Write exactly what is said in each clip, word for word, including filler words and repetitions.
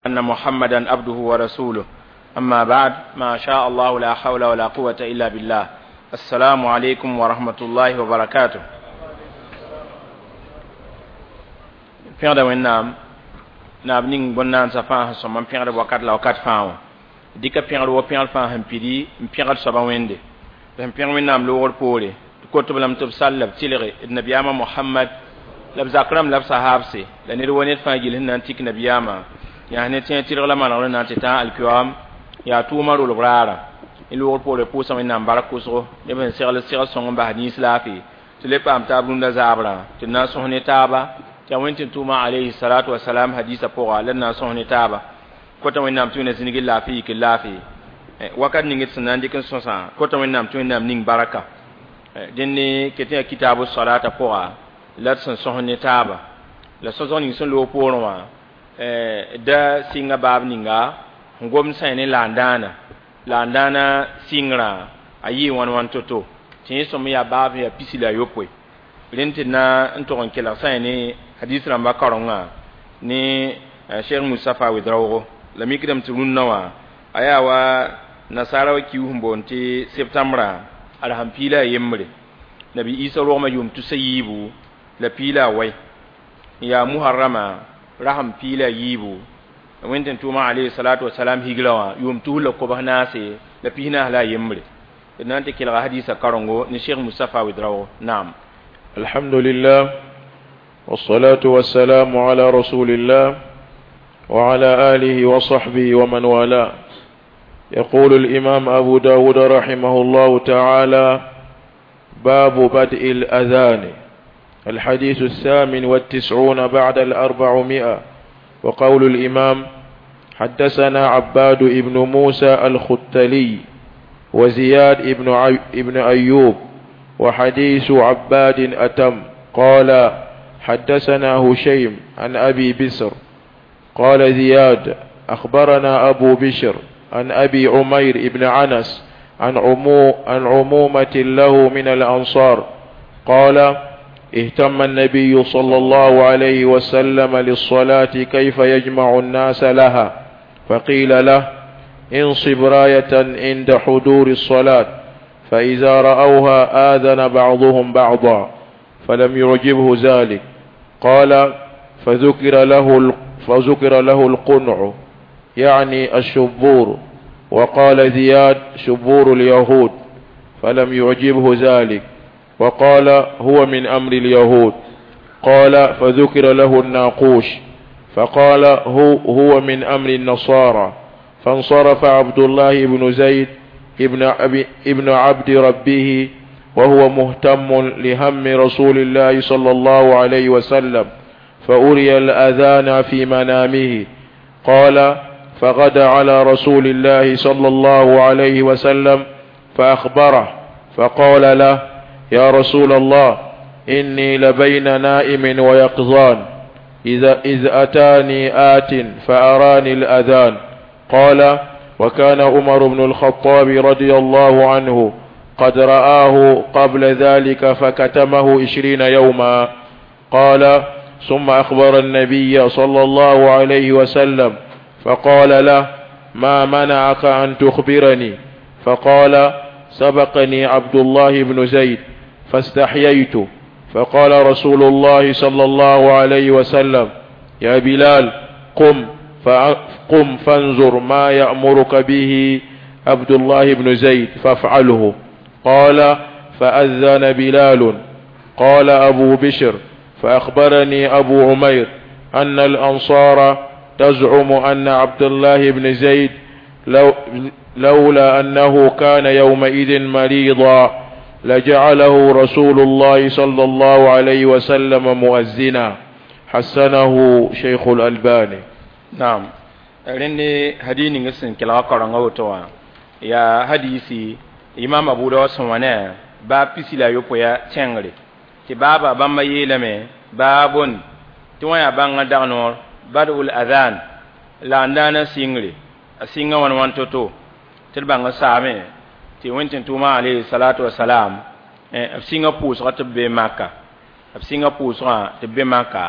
أن محمدا عبده ورسوله أما بعد ما شاء الله لا حول ولا قوة إلا بالله السلام عليكم ورحمة الله وبركاته pẽgda wẽnnaam naab ning bõn-naandsã fãa sẽn sõm n pẽgd wakat la wakat fãa wã dɩka pẽgr wa pẽgr fãa sẽn pidi n pẽgd soabã wẽnde sẽn pẽg wẽnnaam loogr poore tɩ kot-b lame tɩ b sall la b tɩlge d nabiyaamã mohamad la b zak rãmb la b sahaabse la ned wa ned fãa gill sẽn na n tik nabiyaamã yaa ne tẽ tɩlg la manegr n na n tɩ tã alkiyoam yaa tʋʋmã rolg raara y loogr poore pʋʋsa wẽnnaam bark kʋsgo neb sẽn segl segl sõng n bas nins laafɩ tɩ le paam taab rũndã zaabrã tɩ na n sõs ne taaba tɩ yaa wẽn tɩ tʋʋmã alayhi salatu wasalam hadisa pʋga la d na n sõs ne taaba kota wẽnnaam tɩ wẽnna zĩnigi laafɩ yik laafɩ wakat ning d sẽn na n dɩk n sõsã kota wẽnnaam tɩ wẽnnaam ning baraka dẽnd ket yaa kitaab salata pʋga la d sẽn sõs ne taaba la sõsg ning sẽn loog poorẽ wã da sɩnga baab ninga n gom sã ne laandãana laandãana sɩngrã a yɩɩ wãn wãn to-to tɩ yẽ sõm yaa baab yaa pisi la a yopoe rẽnd tɩ na n tog n kelg sã ne hadis rãmbã kaorengã ne cheikh mustafa wedraoogo la mikdame tɩ rũnnã wã a yaa wa nasaara wa kiu sẽn boond tɩ septembra ad sẽn piila a yembre nabi isa rogmã yʋʋm tusa yiibu la piila a wai n yaa muharrama rasem piila a yiibu wẽnd tɩ tʋʋmã alayhi salatu wasalam higra wã yʋʋm tus la kobs naase la pis naas la a yembre d na n tɩ kelga hadisa karengo ne cheikh mustafa wedraoogo naam. الحمد لله والصلاة والسلام على رسول الله وعلى آله وصحبه ومن والاه. يقول الإمام أبو داود رحمه الله تعالى: باب بدء الأذان. الحديث الثامن والتسعون بعد الأربعمائة. وقول الإمام: حدثنا عباد ابن موسى الختلي وزياد ابن, عي ابن أيوب، وحديث عباد أتم. قال: حدثنا هشيم عن أبي بسر قال زياد: أخبرنا أبو بشر عن أبي عمير ابن عنس عن, عمو عن عمومة له من الأنصار قال: اهتم النبي صلى الله عليه وسلم للصلاة كيف يجمع الناس لها، فقيل له: انصب راية عند حضور الصلاة، فإذا رأوها آذن بعضهم بعضا، فلم يعجبه ذلك. قال: فذكر له فذكر له القنع، يعني الشبور، وقال زياد: شبور اليهود، فلم يعجبه ذلك، وقال: هو من أمر اليهود. قال: فذكر له الناقوش، فقال: هو, هو من أمر النصارى. فانصرف عبد الله بن زيد ابن, أبي ابن عبد ربه وهو مهتم لهم رسول الله صلى الله عليه وسلم، فأري الأذان في منامه. قال: فغدا على رسول الله صلى الله عليه وسلم فأخبره، فقال له: يا رسول الله، إني لبين نائم ويقظان إذا إذ أتاني آت فأراني الأذان. قال: وكان عمر بن الخطاب رضي الله عنه قد رآه قبل ذلك فكتمه عشرين يوما. قال: ثم أخبر النبي صلى الله عليه وسلم فقال له: ما منعك أن تخبرني؟ فقال: سبقني عبد الله بن زيد فاستحييت. فقال رسول الله صلى الله عليه وسلم: يا بلال، قم قم فانظر ما يأمرك به عبد الله بن زيد فافعله. قال: فأذن بلال. قال أبو بشر: فأخبرني أبو عمير أن الأنصار تزعم أن عبد الله بن زيد لو لولا أنه كان يومئذ مريضا لجعله رسول الله صلى الله عليه وسلم مؤذنا. حسنه شيخ الألباني. Naam, rẽnd hadis ning sẽn kelga kaorengã woto wã yaa hadisi imam Abu Dawud sẽn wa ne baab pisi la a yopoe tẽngre tɩ baaba bãmba yeelame baabon tɩ wã yaa bãngã dag noor badul adhan la n daana sɩngre a sɩnga wãn wãn to-to tɩ d bãng saame tɩ wẽn tɩ tʋʋmã alayhi salatu wasalam b sɩnga pʋʋsga tɩ b be Maka, b sɩnga pʋʋsgã tɩ b be Maka,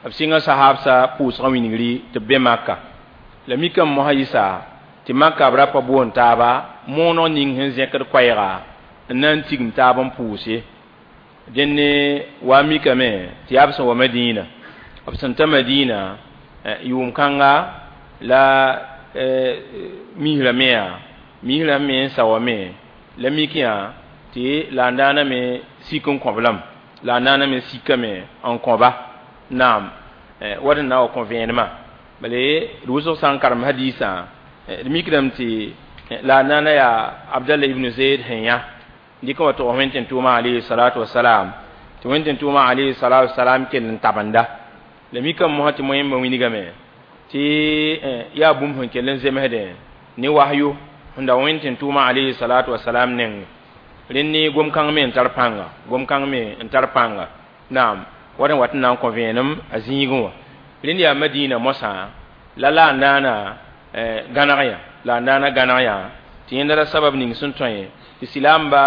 b sɩnga sahabsa pʋʋsgã wingri tɩ b be Maka. La mikame mosã yɩsa tɩ makã b ra pa boond taaba mooneg ning sẽn zẽkd koɛɛga n na n tigim taab n pʋʋs ye dẽnd wa mikame tɩ yaa b sẽn wa Madiina b sẽn ta Madiina yʋʋm kãnga la misrã me yaa misrã me n sa wa me la mik yã tɩ la n daana me sik n kõb lame la n daana me sikame n kõba naam wat n na wa kõ vẽenemã bala d wʋsg sã n karem hadiisã d mikdame tɩ la n daana yaa Abdallah ibn Zayd sẽn yã dɩk n wa tog wẽn tʋʋmã alayhi salatu wasalam tɩ wẽn tʋʋmã alayhi salatu wasalam kell n tabenda la mikame mosã tɩ moẽmbã wilgame tɩ yaa bũmb sẽn kell n zemsdẽ ne wahyu sẽn da wẽn tʋʋmã alayhi salatu wasalam neng rẽnd ne gom-kãng me n tar pãnga gom-kãng me n tar pãnga naam wat n wat n na n kõ vẽenem a zĩigẽ wã rẽnd yaa Madiina mosã la la n daana gãneg yã la n daana gãneg yã tɩ yẽnda ra sabab ning sẽn tõe tɩ silaamba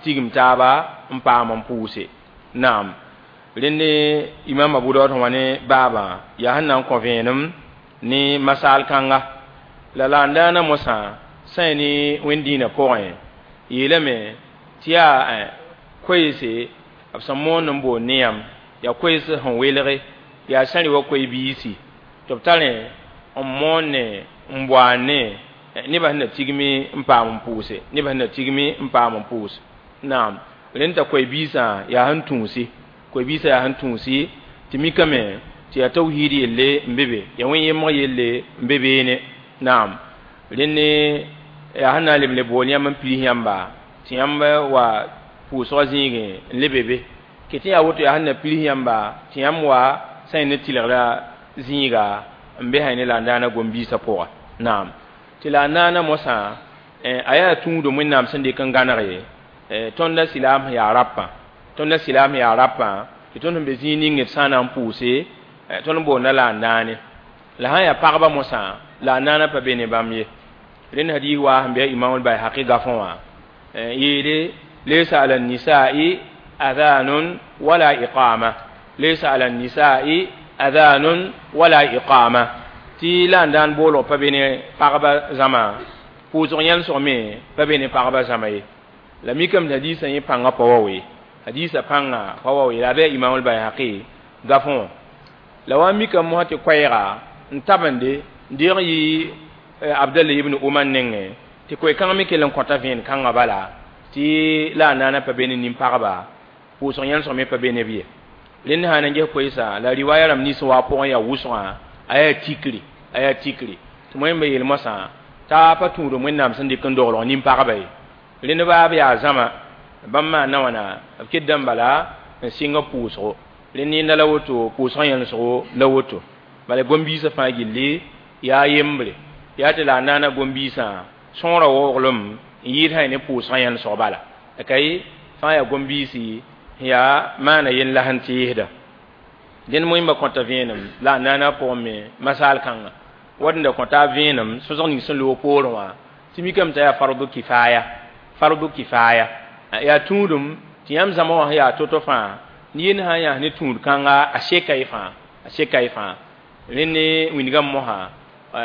tigim taaba n paam n pʋʋse naam rẽnd imam Abu Dawud sẽn wa ne baabã yaa sẽn na n kõ vẽenem ne masaal kãnga la la n daana mosã sã ne wẽnd-dĩinã pʋgẽ yeelame tɩ yaa koeese b sẽn moond n boond ne yãmb yaa koees sẽn welge yaa sã rɩ wa koe-biisi tɩ b tarẽ n moon ne n boaan ne nebã sẽn na tigmi n paam n pʋʋse nebã sẽn na tigmi n paam n pʋʋs naam rẽnd t'a koe-biisã yaa sẽn tũusi koe-biisã yaa sẽn tũusi tɩ mikame tɩ yaa tawhiid yelle n be be yaa wẽn-yemg yelle n be beene naam rẽnd yaa sẽn na n leb le bool yãmb n piis yãmba tɩ yãmb wa pʋʋsgã zĩigẽ n lebe be ket yaa woto yaa sẽn na piis yãmba tɩ yãmb wa sã ne tɩlgra zĩiga n be sã ne la n daana gom-biisã pʋga naam tɩ la n naana mosã a yaa tũudum wẽnnaam sẽn dɩk n gãneg ye tõnd silaam sẽn yaa rapã tõnd silaam sẽn yaa rapã tɩ tõnd sẽn be zĩig ning d sã n na n pʋʋse tõnd boonda la n naane la sã n yaa pagba mosã la n naana pa be ne bãmb ye rẽnd hadiis waa sẽn be imam al-Bayhaqi gafẽ wã yeele laysa ala nisa'i adhanun wala iqama laysa ala nisa'i adhanun wala iqama tɩ la n daan boolg pa be ne pagba zãma pʋʋsg yãlsg me pa be ne pagba zãma ye la mikame tɩ hadiisã yẽ pãngã pa wa we hadiisã pãnga pa wa we la a bɩ imam al-Bayhaqi gafẽ wã la wa mikame mosã tɩ koɛɛga n tabende n deeg yɩ Abdallah ibn Umar nengẽ tɩ koe-kãng me kell n kõta vẽen kãngã bala tɩ la a naana pa be ne nin-pagba pʋʋsg yãlsg me pa be ne b ye rẽnd sã n na n ges koeesa la riwaya rãmb nins wa pʋgẽ yaa wʋsgã a yaa tikri a yaa tikri tɩ moẽmba yeel mosã t'a pa tũudum wẽnnaam sẽn dɩk n doglg nin-pagba ye rẽnd baa b yaa zãma bãmb maan na wãna b kedame bala n sɩng pʋʋsgo rẽnd yẽnda la woto pʋʋsgã yãlsgo la woto bala gom-biisã fãa gilli yaa yembre yaa tɩ la a naana gom-biisã sõora waooglem n yɩɩd sã ne pʋʋsgã yãlsg bala kay fãa yaa gom-biisi yaa maana yell la sẽn tɩɩsda dẽnd moẽmba kõta vẽenem la a naana pʋgẽ me masaal kãnga wat n da kõta vẽenem sõsg ning sẽn loog poorẽ wã tɩ mikame t'a yaa fardu kifaya fardu kifaya yaa tũudum tɩ yãmb zãma wã sẽn yaa to-to fãa ne yend sã n yãs ne tũud kãnga a seka y fãa a seka y fãa rẽnd ne wĩndgame mosã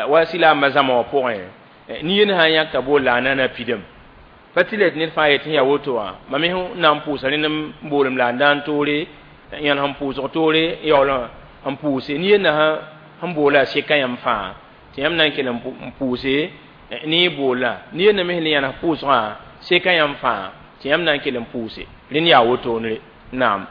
wa silaambã zãma wã pʋgẽ ne yend sã n yãk t'a bool la a naana pidame pa tɩ la d ned fãa yetɩ yaa woto wã mam me sẽn na n pʋʋsa rẽnd n boolem la n daan toore yãn sẽn pʋʋsg toore yaool n pʋʋse ne yenda sẽn boola a seka yãmb fãa tɩ yãmb na n kell n pʋʋse ne y boola ne yenda me sẽn le yãns pʋʋsgã seka yãmb fãa tɩ yãmb na n kell n pʋʋse rẽnd yaa wotone naam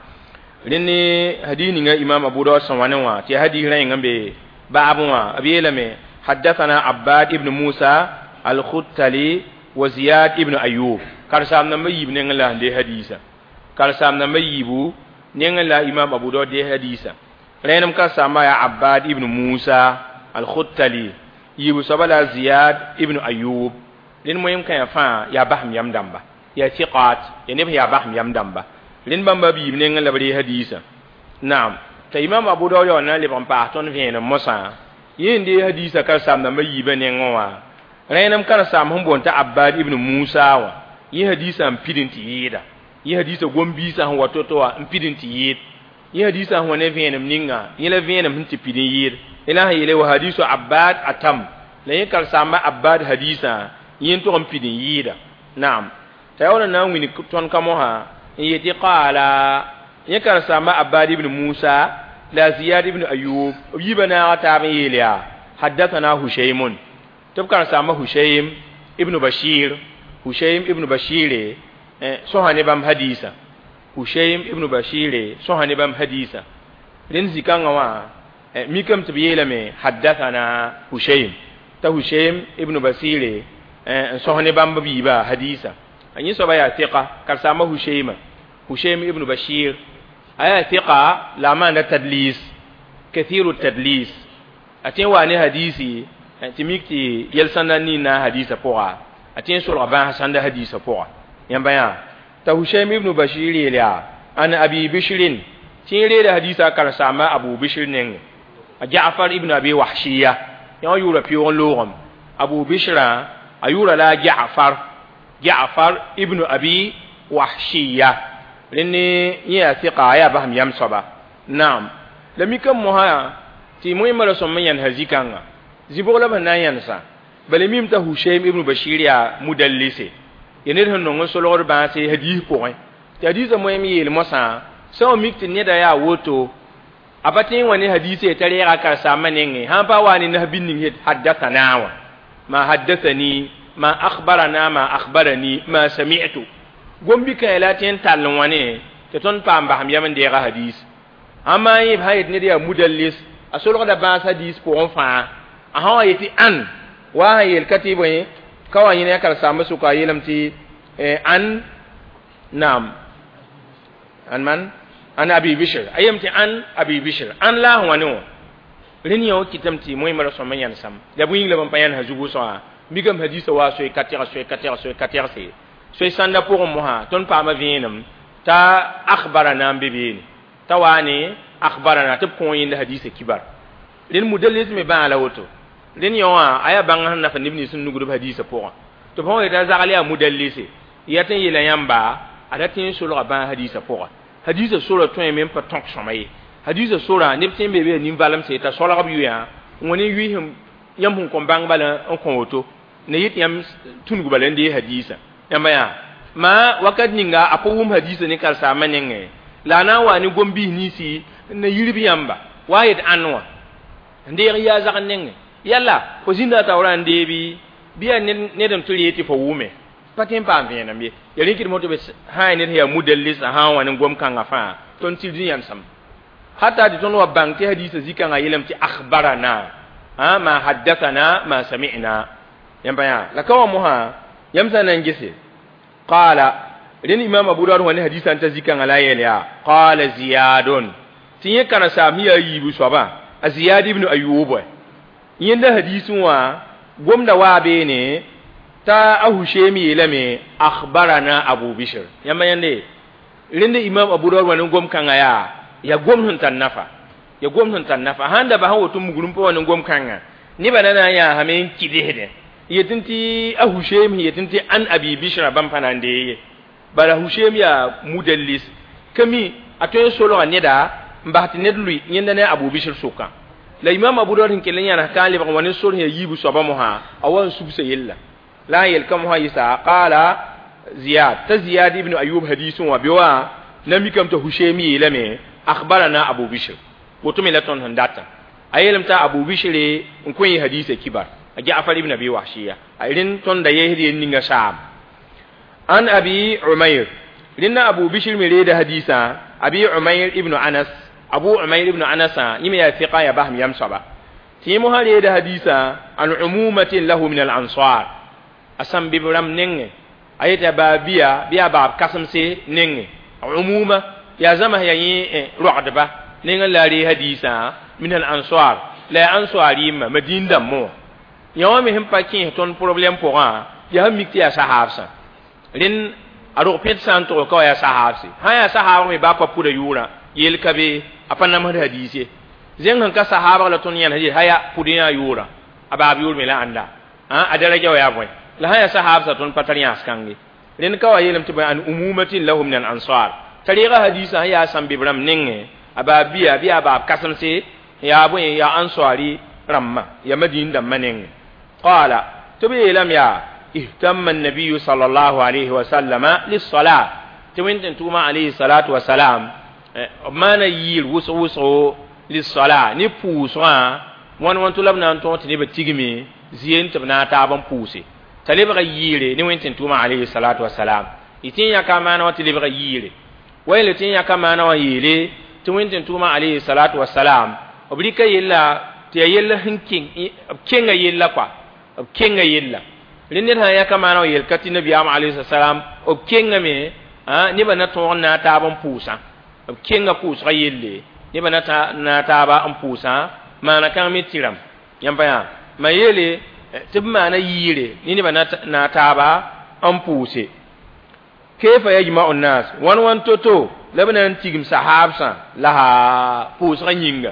rẽnd ne hadiis ninga imam Abu Dawud sẽn wa ne wã tɩ yaa hadiis rẽng n be baabẽ wã b yeelame حدثنا عباد ابن موسى الختلي وزياد ابن أيوب karsaam namba yiib nengẽ la n dee hadiisã karsaam namba yiibu nengẽ la imam Abu Dawud dee hadiisã rẽenem karsaambã yaa Abbad ibn Musa al-Khuttali yiibu soaba la Ziyad ibn Ayub rẽnd moẽm kãyã fãa yaa basem yam dãmba yaa siqaat yaa neb yaa basem yam dãmba rẽnd bãmba b yiib nengẽ la b ree hadiisã naam t'a imam Abu Dawud yaool na n lebg n paas tõnd vẽenem mosã yẽ n dee hadiisã karsaam namba yiibã nengẽ wã rẽenem karsaam sẽn boond t'a Abbad ibn Musa wã yẽ hadiisã n pid n tɩ yɩɩda yẽ hadiisã gom-biisã sẽn wa to-to wã n pid n tɩ yɩɩd yẽ hadiisã sẽn wa ne vẽenem ninga yẽ la vẽenem sẽn tɩ pid n yɩɩd ila yele wa hadisu Abbad atam la yẽ karen-saamba Abbad hadisa yẽ tʋg n pid n yɩɩda naam t'a yaool n na n wĩni tõnd ka mosã n yetɩ qaala yẽ karen-saamba Abbad ibn Musa la Ziyad ibn Ayub b yiibã naaga taab n yeel yaa haddathana Hushaymun tɩ b karen-saamba Hushaym ibn Bashir Hushaym ibn Bashir sõsa ne bãmb hadisa Hushaym ibn Bashir sõsa ne bãmb hadisa rẽnd zĩ-kãngã wã mikame tɩ b yeelame haddathana Hushaym t'a Hushaym ibn Bashir n sõs ne bãmb b yiibã hadisa a yẽ soaba yaa tɩka karen-saamba Hushayma Hushaym ibn Bashir a yaa tɩka la a maanda tadlis kathiru tadlis a tõe n waa ne hadisi tɩ mik tɩ yɛl sãnda nin-na hadisa pʋga a tõe n solga bãas sãnda hadisa pʋga yãmba yã t'a Hushaym ibn Bashir yeel yaa an Abi Bishrin tɩ yẽ reeda hadisa karen-saamba Abu Bishr nengẽ a Ja'far ibn Abi Wahshiya yã wã yʋʋra pɩʋg n loogame Abu Bishrã a yʋʋra la Ja'far Ja'far ibn Abi Wahshiya rẽnd yẽ yaa tɩka a yaa basem yam soaba naam la mikame mosã tɩ moẽmã ra sõm n yãnesã zĩ-kãnga zĩ-bʋg la b sẽn na n yãnesã bala mim t'a Hushaym ibn Bashir yaa mudallise ya ned sẽn nong n solgd bãase hadis pʋgẽ tɩ hadiisã moẽm yeel mosã sã n mik tɩ neda yaa woto a pa tõe n wa ne hadise t'a reega karen-saambã nengẽ sãn pa wa ne nas bĩn ning haddathana wã ma haddathani ma akhbarana ma akhbarani ma sami'tu gom-bikã la tõe n tall n wã ne tɩ tõnd paam basem yam n deega hadis ãmba yẽ sã yet ned yaa mudallis a solgda bãas hadis pʋgẽ fãa a sã wa yetɩ ãn wa sã yeel ka tɩ bõe ka wa yẽ ne a karen-saambã sʋka a yeelame tɩ an naam an man an Abi Bishr a yeelame tɩ an Abi Bishr an la a sẽn wa ne wã rẽnd yã wã kɩtame tɩ moẽmã ra sõm n yãnesam la bõe yĩng la bãmb pa yãnesã zugu sõa mikame hadisa wa soe ka tɛg soe ka tɛg soe ka tɛgse soe sãnda pʋgẽ mosã tõnd paama vẽenem t'a akhbarana n be beene t'a waa ne akhbarana tɩ b kõ yẽnda hadisa kibar rẽnd mudallis me bãa la woto rẽnd yã wã a yaa bãng sẽn nafa neb nins sẽn nugd b hadisa pʋgã tɩ b sã yeta zagl yaa mudallise ya tɩ n yeela yãmba a ra tõe n solga bãas hadisa pʋga hadisa sora tõeme n pa tõk sõma ye hadisa sora neb tõe n be be nin-valemse t'a solg b yʋyã n wa ne yʋɩ yãmb sẽn kõn bãng bala n kõ woto ne yet yãmb tũnug bala n dee hadisa yãmba yaa ma wakat ninga a pa wʋm hadisa ne karen-saambã nengẽ la a na n wa ne gom-biis ninsi n na yirb yãmba wa yet ãn wã n deeg yaa zagn nengẽ yalla fo zĩnda a taoorã n deebi bɩ yaa ned n tɩ ree tɩ fo wʋme pa tõe n paam vẽenem ye ya rẽ kɩdem tɩ b sã ya ned sẽn yaa mudallis sã n wa ne gom-kãngã fãa tõnd tɩ rẽ yãnesem hata tɩ tõnd wa bãng tɩ hadisa zĩ-kãngã yeelame tɩ akhbarana ma haddathana ma sami'na yãmba yaa la ka wã mosã yãmb sã n na n gese qala rẽnd imam Abu Dawud wã ne hadisa n ta zĩ-kãngã la a yeel yaa qala Ziyadun tɩ yẽ karen-saam sẽn yaa yiibu soabã a Ziyad ibn Ayub yẽnda hadisẽ wã gomda waa beene t'a a Hushaym yeelame akhbarana Abu Bishr yãmba yãnde rẽnd imam Abu Dawud wã ne gom-kãngã yaa ya gom sẽn tar nafa ya gom sẽn tar nafa sãn da bas n woto mugr n pa wa ne gom-kãngã nebã na na n yaasame n kɩdsdẽ yetɩ tɩ a Hushaym yetɩ tɩ an Abi Bishra bãmb pa na n dee ye bala Hushaym yaa mudallis ka mi a tõe n solga neda n bas tɩ ned lʋɩ yẽnda ne Abu Bishr sʋkã la imam Abu Dawud sẽn kell n yãnes ka n lebg n wa ne sor sẽn yaa yiibu soabã mosã a wa n subsa yella la n yel ka mosã yɩsa qaala Ziyad t'a Ziyad ibn Ayub hadisẽ wã bɩ wã na mikame t'a Hushaym yeelame akhbarana Abu Bishr woto me la tõnd sẽn datã a yeelame t'a Abu Bishr n kõ yẽ hadisa kibar a Ja'far ibn Abi Wahshiya a rẽnd tõnda yeesd yel ninga saam an Abi Umayr rẽnda Abu Bishr me reeda hadisa Abi Umayr ibn Anas Abu Umayr ibn Anas yẽ me yaa fiqa yaa basem yam soaba tɩ yẽ mosã reeda hadisa an umumatin lahu min al-ansar a sãn bɩ b rãmb nengẽ a yeta baa bia bɩ yaa baab kãsemse nengẽ umuma yaa zãms yaa yẽ roagdba nengẽ la a ree hadisa min al-ansar la yaa ansar yɩmma madĩn dãmbẽ wã yã wã me sẽn pa kẽes tõnd problɛm pʋgã yaa sẽn mik tɩ yaa sahaabsã rẽnd a rog pẽd sã n tʋg ka wa yaa sahaabse sã yaa sahaabg me baa pa pʋda yʋʋrã yeel ka be a pa namsd hadiis ye zẽng sẽn ka sahaabg la tõnd yãnes yel haya pʋd yã yʋʋrã a baab yʋʋr me la ãnda a daraja wa yaa bõe la sã yaa sahaabsã tõnd pa tar yãas kãnge rẽnd ka wa yeelame tɩ bõe an umumatin lahu min al ansar t'a reega hadiisã sẽn yaa sãn-bɩb rãmb nengẽ a baab bia bɩ yaa baab kãsemse yaa bõe yaa ansari rãmbã ya madin dãmbã nengẽ qala tɩ b yeelame yaa ihtamma annabiyu sal allahu alayhi wasallama lissala tɩ wẽn tʋʋma alayhi salatu wasalam b maana yiir wʋsg wʋsgo lissala ne pʋʋsgã wãn wãn tʋ la b na n tõog tɩ nebã tigme zie n tɩ b na n taab n pʋʋse t'a lebga yiire ne wẽn tʋʋma alayhi salatu wasalam y tɩ n yãka maana wã tɩ lebga yiire wa yel tɩ n yãka maana wã yeele tɩ wẽn tʋʋma alayhi salatu wasalam b rɩka yella tɩ ya yell sẽn keng b kenga yella kɔa b kenga yella rẽ ned sã n yãka maana wã yel ka tɩ nabiyaam alayhi salam b kengame nebã na tõog n na n taab n pʋʋsã b kenga pʋʋsgã yelle nebã na na taaba n pʋʋsã maana kãng me tɩrame yãmb pa yaa ma yeele tɩ b maana yiire ne nebã na taaba n pʋʋse kayfa yajma'u nnas wãn wãn to-to la b na n tigm sahaabsã la pʋʋsgã yĩnga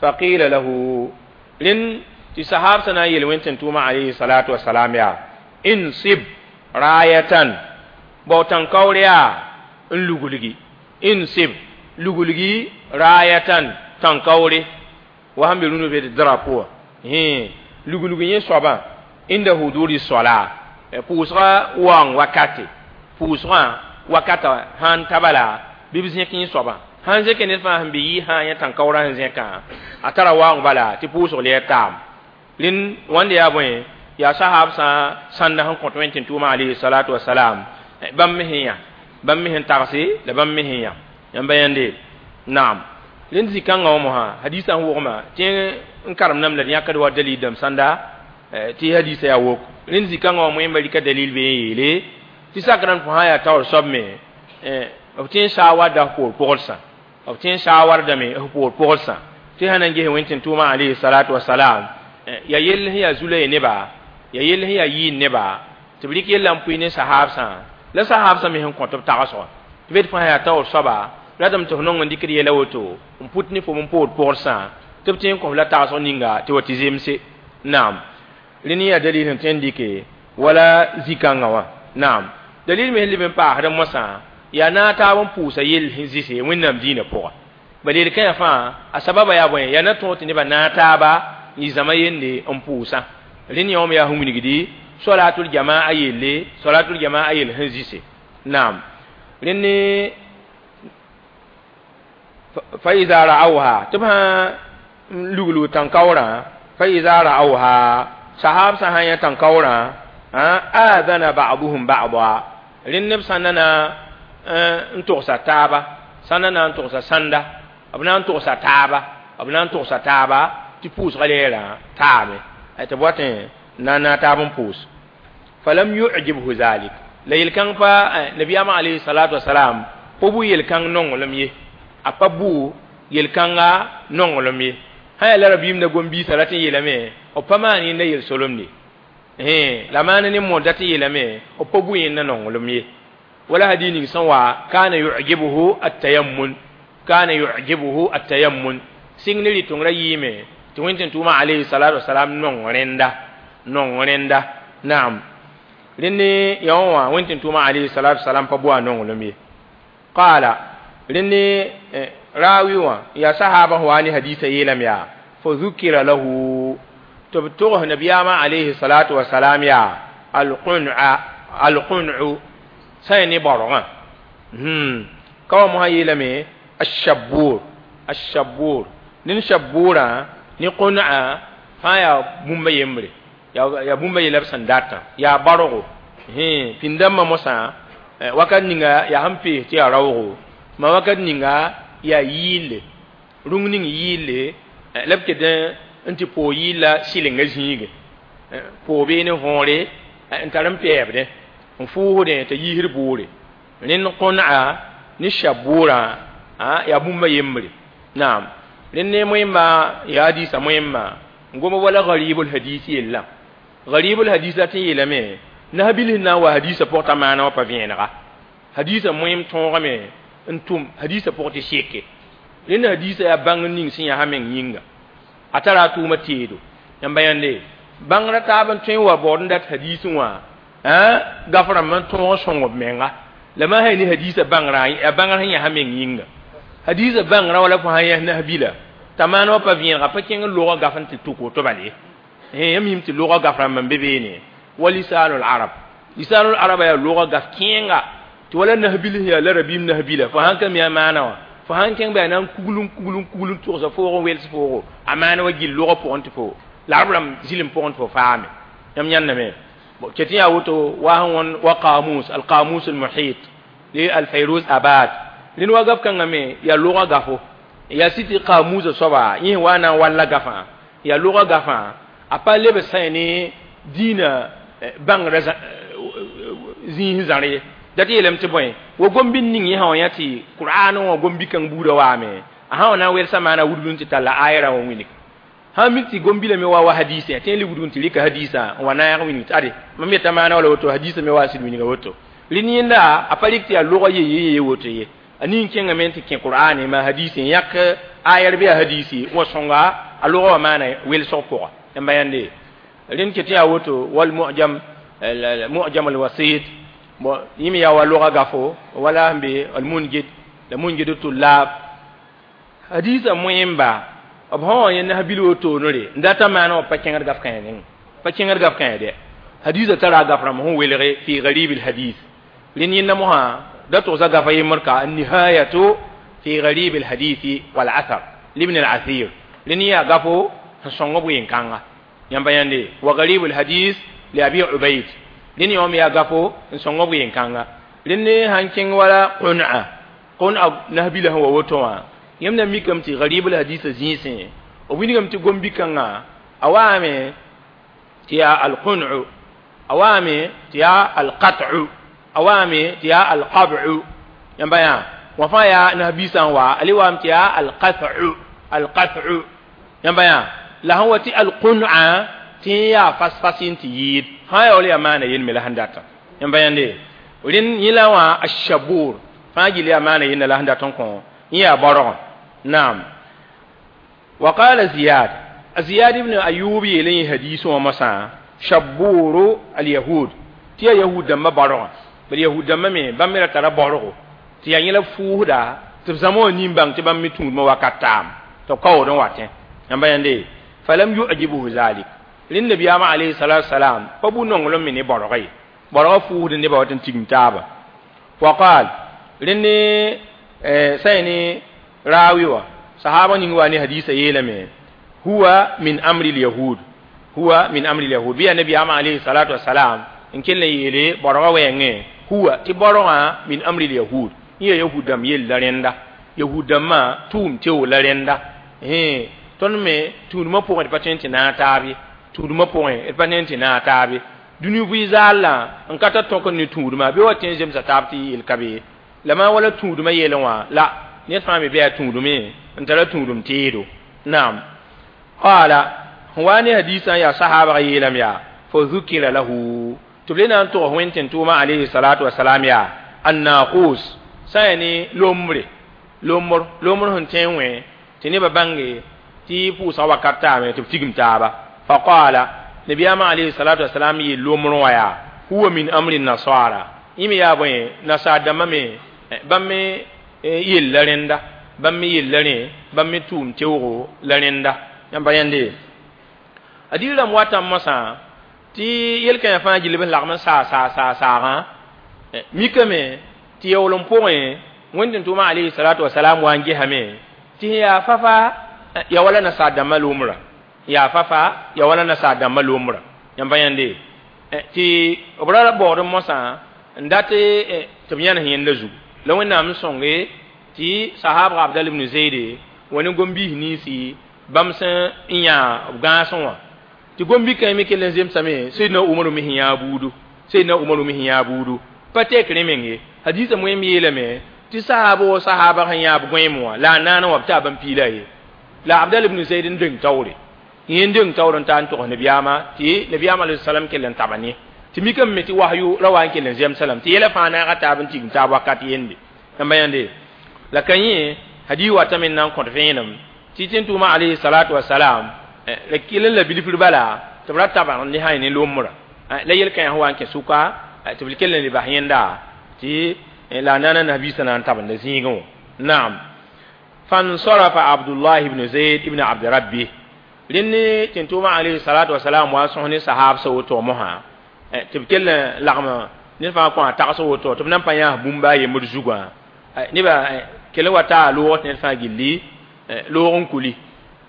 faqila lahu rẽnd tɩ sahaabsã na n yel wẽn tʋʋma alayhi salatu wasalam yaa insib rayatan bao tãn-kaoor yaa n luglgi insib luglgi rayatan tãn-kaoore wa sẽn be rũnu be drapeau wã luglg yẽ soabã inda huduri sola pʋʋsgã waoong wakate pʋʋsgã wakata sãn ta bala bɩ b zẽk yẽ soabã sãn zẽk ned fãa sẽn be yɩ sã yẽ tãn-kaoorã sẽn zẽkã a tara waoong bala tɩ pʋʋsg leer taam rẽnd wãnde yaa bõe yaa sahaab sã sãnda sẽn kõt wẽn tʋʋma alayhi salatu wasalam bãmb me sẽn yã bãmb me sẽn tagse la bãmb me sẽn yã yãmba yãnde naam rẽnd zĩ-kãngã wã mosã hadisã sẽn wogma tɩ n karem nam la d yãkd wa dalil dãmb sãnda tɩ hadisã yaa wok rẽnd zĩ-kãngã wã moẽmba rɩka dalil be n yeele tɩ sak rãmb fo sã yaa taoor soab me b tɩ n saawarda f poor pʋglsã b tɩ n saawardame f poor pʋglsã tɩ sã na n ges wẽn tʋʋma alayhi salatu wasalam ya yell sẽn yaa zu-la y neba ya yell sẽn yaa yɩɩn neba tɩ b rɩk yella n pʋɩ ne sahaabsã la sahaabsã me sẽn kõt b tagsgã tɩ b fãa yaa taoor soaba ratame tɩ f nong n dɩkd yɛla woto n put ne fo n poor pʋglsã tɩ b tɩ n kõ f la tagsg ninga tɩ wa tɩ zemse naam rẽnd yaa dalil sẽn tõe n dɩke wala zĩ-kãngã wã naam dalil me sẽn leb n paasd mosã yaa na taab n pʋʋsa yell sẽn zɩse wẽnnaam dĩinã pʋga bala yel-kãyã fãa a sababa yaa bõe yaa na tõog tɩ nebã na taaba n zãma yende n pʋʋsã rẽnd yã wã me yaa sẽn wilgdi solatul jamaa yelle solatul jamaa yell sẽn zɩse naam rẽnd ne fa iza ra'awha tɩ b sã n luglg tãn-kaoorã fa iza ra'awha sahab sã sã yã tãn-kaoorã aadana ba'duhum ba'da rẽnd neb sã na na n togsa taaba sã na na n togsa sãnda b na n togsa taaba b na n togsa taaba tɩ pʋʋsgã leerã taame tɩ b wat n na na taab n pʋʋs falam yu'jibhu zalik la yel-kãng pa nabiyaamã alayhi salatu wasalam pa bʋ yel-kãng nonglem ye a pa bʋ yel-kãnga nonglem ye sã yaa la rabiim la gom-biisã rat n yeelame b pa maan yẽnda yel-solemde la maan ne mõor dat n yeelame b pa bʋ yẽnda nonglem ye wala hadith ning sẽn wa kana yu'jibuhu at-tayammun kana yu'jibuhu at-tayammun sɩng ne rɩ-tõngrã yɩɩme tɩ wẽn tʋʋma alayhi salatu wasalam nong rẽnda nong rẽnda naam rẽnd ne yã wã wẽn tʋʋma alayhi salatu wasalam pa bʋ a nonglem ye qala rẽnd ne rawi wã yaa sahaba wa ne hadisa yeelame yaa fa dhukira lahu tɩ b togs nabiyaamã alayhi salatu wasalam yaa alqun'a alqun'u sã ne baorgã ka wa mosã yeelame ashabur ashabur ned shaburã ne qun'a fãa yaa bũmba yembre yaa bũmba yella b sẽn datã yaa baorgo pĩnd-dãmbã mosã wakat ninga yaa sẽn pees tɩ yaa raoogo ma wakat ninga yaa yɩɩlle rũng ning yɩɩlle la b ket n tɩ poog yɩɩlla sɩlenga zĩige poog bee ne võore n tar n pɛɛbdẽ n fʋʋsdẽ t'a yiisd boore rẽnd qõn'a ne shabuurã yaa bũmba yembre naam rẽnd ne moẽmba yaa hadisa moẽmba n goma wala garibul hadis yella garibul hadis la tɩ n yeelame nabil sẽn na n wa hadisa pʋg t'a maana wã pa vẽenega hadisa moẽm tõogame n tʋm hadisa pʋg tɩ seke rẽnd hadisa yaa bãng ning sẽn yaa meng yĩnga a tara a tʋʋma teedo yãmba yãnde bãngrã taab n tõe n wa baood n dat hadisẽ wã gaf rãmb n tõog n sõng b menga la ma sã ne hadisa bãngrã a bãngrã sẽn yaa meng yĩnga hadisa bãngrã wala fo sã yãs nasbila t'a maan wã pa vẽenega pa kẽng n logã gaf n tɩ tʋk woto bal ye yãmb yĩm tɩ logã gaf rãmb n be beene wa lisanul arab lisanul arab yaa logã gaf kẽenga tɩ wala nasbil sẽn yaa la rabiim nasbila fo sãn ka mi a maana wã fo sãn kẽng bɩ a na n kuglum kuglum kuglum tʋgsa foog n wels foogo a maana wa gill logã pʋgẽ tɩ fo la arab rãmb zilem pʋgẽ tɩ fo faame yãmb yãndame bon ket yaa woto wa sẽn wõn wa qamus al qamus al muhit li al fayruz abad rẽnd wa gaf kãngã me yaa logã gafo yaa sɩ tɩ qamusa soaba yẽ wa na n walla gafã yaa logã gafã a pa leb sã ne dĩinã bãngrã zĩis zãr ye dat yeelame tɩ bõe wa gom-bi ning yẽ sã wã yã tɩ qur'an wã gom-bi-kãng buudã waame a sã wã na n welsa maana wudg n tɩ talla ayɛrã wã wilg sã mik tɩ gom-bi lame wa wa hadisẽ tɩ le wudg n tɩ rɩka hadisã n wa naag wilg tɩ ade mam yeta maana wala woto hadisã me wa sɩd wilga woto rẽnd yẽnda a pa rɩk tɩ yaa logã ye ye ye woto ye a ning kẽngame tɩ kẽ qur'ane ma hadisẽ yãk ayɛr bɩ a hadisi wa sõnga a logã wã maana welsg pʋga yãmba yãnde rẽnd ket yaa woto wal mu'jam mu'jam al wasit bon yẽ me yaa wa logã gafo wala sẽn be al mungid la mungid tullab hadisã moẽmba b sã wã yẽ nasbil wotoonre n data maana wã pa kẽngd gaf kãe neng pa kẽngd gaf kãe dɛ hadisã tara a gaf rãmb sẽn welge fi garib al hadis rẽnd yẽnda mosã da togsa gafa yembr ka النهاية في غريب الحديث والأثر لابن العثير rẽnd yaa gafo sẽn sõng b ween-kãnga yãmba yãnde wa غريب الحديث لأبي عبيد rẽnd yã me yaa gafo n sõng b ween-kãnga rẽnd sãn kẽng wala qun'a qun'a nasbila sẽn wa woto wã yãmb na mikame tɩ غريب الحديث zĩisẽ b wilgame tɩ gom-bi-kãngã a waame tɩ yaa alqun'u a waame tɩ yaa alqat'u a waame tɩ yaa alqab'u yãmba yã wã fãa yaa nasbiisã n wa a le waame tɩ yaa alqat'u alqat'u yãmba yã la sẽn wa tɩ alqun'a tɩ yaa fas-fas n tɩ yɩɩd fãa yaa wala yaa maana yel me la sẽn data yãmba yãnde rẽnd yẽ la wã ashabur fãa gill yaa maana yenda la sẽn dat n kõ yẽ yaa baorgã naam wa qala ziyad ziyad ibn ayub yeele yẽ hadis wã mosã shaburu alyahud tɩ yaa yahud dãmbã baorgã bal yahud dãmbã me bãmb me ra tara baorgo tɩ yaa yẽ la fuusda tɩ b zãma wã nin bãng tɩ bãmb me tũudmã wakat taam tɩ b kaood n watẽ yãmba yãnde falam yu'jibuhu zalik rẽnd nabiyaamã alayhi salatu wasalam pa bu nonglem me ne baorga ye baorgã fuusd nebã wat n tigim taaba wa qal rẽnd sã ne raawi wã sahaba ning wa ne hadisa yeelame huwa min amri lyahud huwa min amri lyahud bɩ yaa nabiyaamã alayhi salatu wasalam n kell n yeele baorgã wɛɛngẽ huwa tɩ baorgã min amri lyahud yẽ yaa yahud dãmb yell la rẽnda yahud dãmbã tʋʋm teo la rẽnda tõnd me tũudmã pʋgẽ d pa tõe n tɩ naag taab ye tũudmã pʋgẽ d pa tõe n tɩ naag taab ye dũni vɩ zaallã n ka tar tõk n ne tũudmã bɩ wa tẽ n zemsa taab tɩ yel ka be la maa wala tũudmã yɛlẽ wã la ned fãa me bɩ yaa tũudme n tara tũudum teedo naam qala sẽn wa ne hadisã yaa sahaabg yeelame yaa fa zukira lahu tɩ b le na n tʋgs wẽn tẽn tʋʋmã alayhi salatu wasalam yaa annaqus sã yaa ne lombre lombr lombr sẽn tẽ n wẽ tɩ nebã bãnge tɩ pʋʋsga wakat taame tɩ b tigim taaba faqala nabiyaamã alayhi salatu wasalam yeel lomr wã yaa huwa min amri nasara yẽ me yaa bõe nasaar dãmbã me bãmb me yell la rẽnda bãmb me yella rẽ bãmb me tʋʋm teoogo la rẽnda yãmba yãnde a dig rãmb watã mosã tɩ yel-kãyã fãa gill b lagm n saa saa saa saagã mikame tɩ yaool n pʋgẽ wẽnd tɩ tʋʋmã alayhi salatu wasalam wa n gesame tɩ sẽn yaa fafa ya wala nasaar dãmbã lomrã yaa fafa ya wala nasaar dãmbã lomrã yãmba yãnde tɩ b ra baood mosã n dat tɩ b yãnes yẽnda zugu la wẽnnaam n sõnge tɩ sahaabga abdal ibn zayde wa ne gom-biis ninsi bãmb sẽn n yã b gãasẽ wã tɩ gom-bi-kãe me kell n zemsame sayyidina umaru me sẽn yã buudu sayyidina umaru me sẽn yã buudu pa tek rẽ meng ye hadisã moẽm yeelame tɩ sahaaba wa sahaaba sẽn yã b gõeem wã la a naana wã b taa bãmb piila ye la abdal ibn zayd n deng taoore yẽ n deng taoor n taa n togs nabiyaamã tɩ nabiyaamã alayhi salam kell n taba ne tɩ mikame me tɩ wahyu ra wa n kell n zɛm salam tɩ yɛla fãa naaga taab n tigim taab wakat yende yãmba yãnde la ka yẽ hadis watame n na n kõt vẽenem tɩ tẽn tʋʋmã alayhi salatu wasalam la kell n la bilfr bala tɩ b ra tabg ne sã ne lombrã la yel-kãyã sẽn wa n kẽ sʋka tɩ b kell n le bas yẽnda tɩ la a naana nabiisã na n tabenda zĩigẽ wã naam فانصرف عبد الله بن زيد بن عبد ربه لني تنتوما عليه الصلاة والسلام واسوني صحاب سوتو مها تبكل لغم نفا كو تاغسو وتو تبنا بانيا بومبا يمر زوغا نبا كل وتا لوت نفا غيلي لورون كولي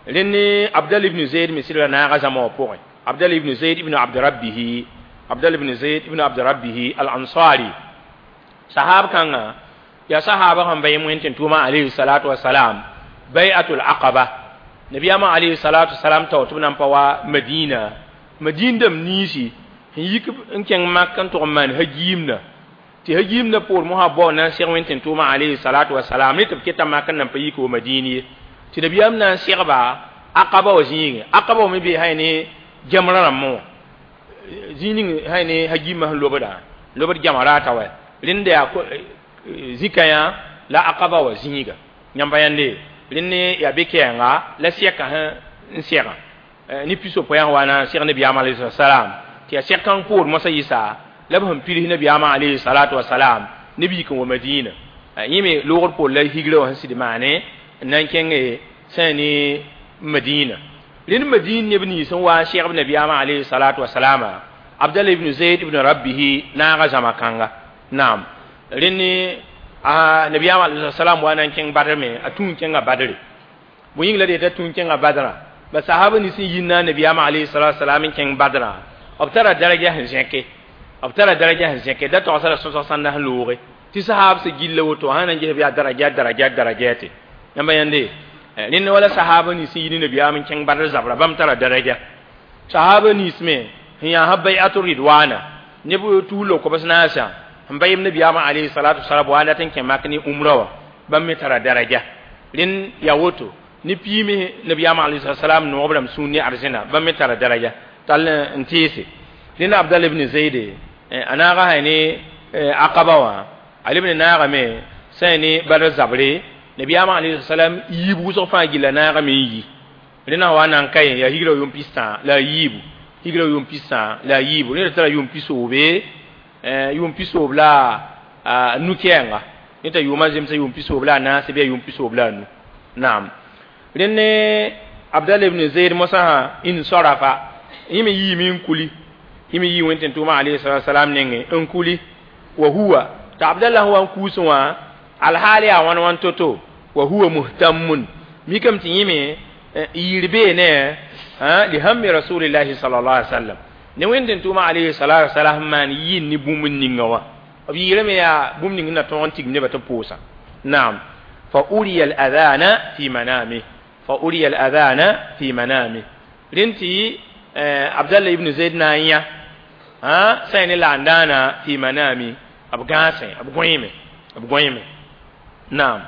لني عبد الله بن زيد مسير نا غزما بوغ عبد الله بن زيد بن عبد ربه عبد الله بن زيد بن عبد ربه الأنصاري صحاب كان يا صحابة هم بيمون تنتوما عليه الصلاة والسلام بيعة العقبة نبي أما عليه الصلاة والسلام توتبنا بوا مدينة مدينة دم نيسي يك إن كان ما كان تؤمن هجيمنا تهجيمنا بور مها بونا سيرون تنتوما عليه الصلاة والسلام نتب كتا ما كان نبيك ومدينة تنبي أمنا سيربا عقبة وزين عقبة ومبي هاي جمرة مو زين هاي هجيمة لوبدا لوبد جمرة توا لين zikaya la aqaba wa zinga nyamba yande linne ya bekenga la siaka ha nsiaka ni piso poyan wana sir nabi alayhi salam ti ya siakan pour mosa isa la bham piri nabi alayhi salatu wa salam nabi ko madina yime logor pour la higre wa sidi mane nan kenge sani madina lin madina ibn san wa sheikh nabi alayhi salatu wa salam abdullah ibn zaid ibn rabbih na ga zamakanga naam rinni a nabi alayhi salam wa nan king badr me atun kinga badr bu yingla de ta tun kinga badra ba sahaba ni sin yinna nabi alayhi salatu salam king badra obtara daraja hin zeke obtara daraja hin zeke da to sala so sanda loore ti sahab se gilla woto hanan je biya daraja daraja daraja te namba yande rinni wala sahaba ni sin yinna nabi amin king badr zabra bam tara daraja sahaba ni sme hiya habai'atu ridwana ne bu tulo ko basna sa mbayim nabi ama alayhi salatu wasalam wa latin ke makni umrawa bam mi tara daraja lin ya woto ni pimi nabi ama alayhi salatu wasalam no obram sunni arzina bam mi tara daraja tal ntisi lin abdul ibn zaid ana ga hani aqaba wa ali ibn naga me sani bar zabre nabi ama alayhi salam yibu so fa gila naga me yi lin wa nan kai ya higro yum pista la yibu higro yum pista la yibu ni tara yum piso be yum piso bla nu kenga nita yuma zemsa yum piso bla na se be yum piso bla nu naam renne abdallah ibn zaid musa in sarafa yimi yimi kuli yimi yi wenten tuma alayhi salatu wasalam nenge en kuli wa huwa ta abdallah huwa kusuwa alhali a wan wan toto wa huwa muhtammun mikam ti yimi yirbe ne ha li hammi rasulillahi sallallahu alaihi wasallam ne wenden tuma alayhi salatu wasalam man yin ni bumun ninga wa abi yirme ya bum ninga na ton tig ne bata posa naam fa uriya al adhana fi manami fa uriya al adhana fi manami rinti abdallah ibn zaid na ya ha sai ni landana fi manami abgase abgoyime abgoyime naam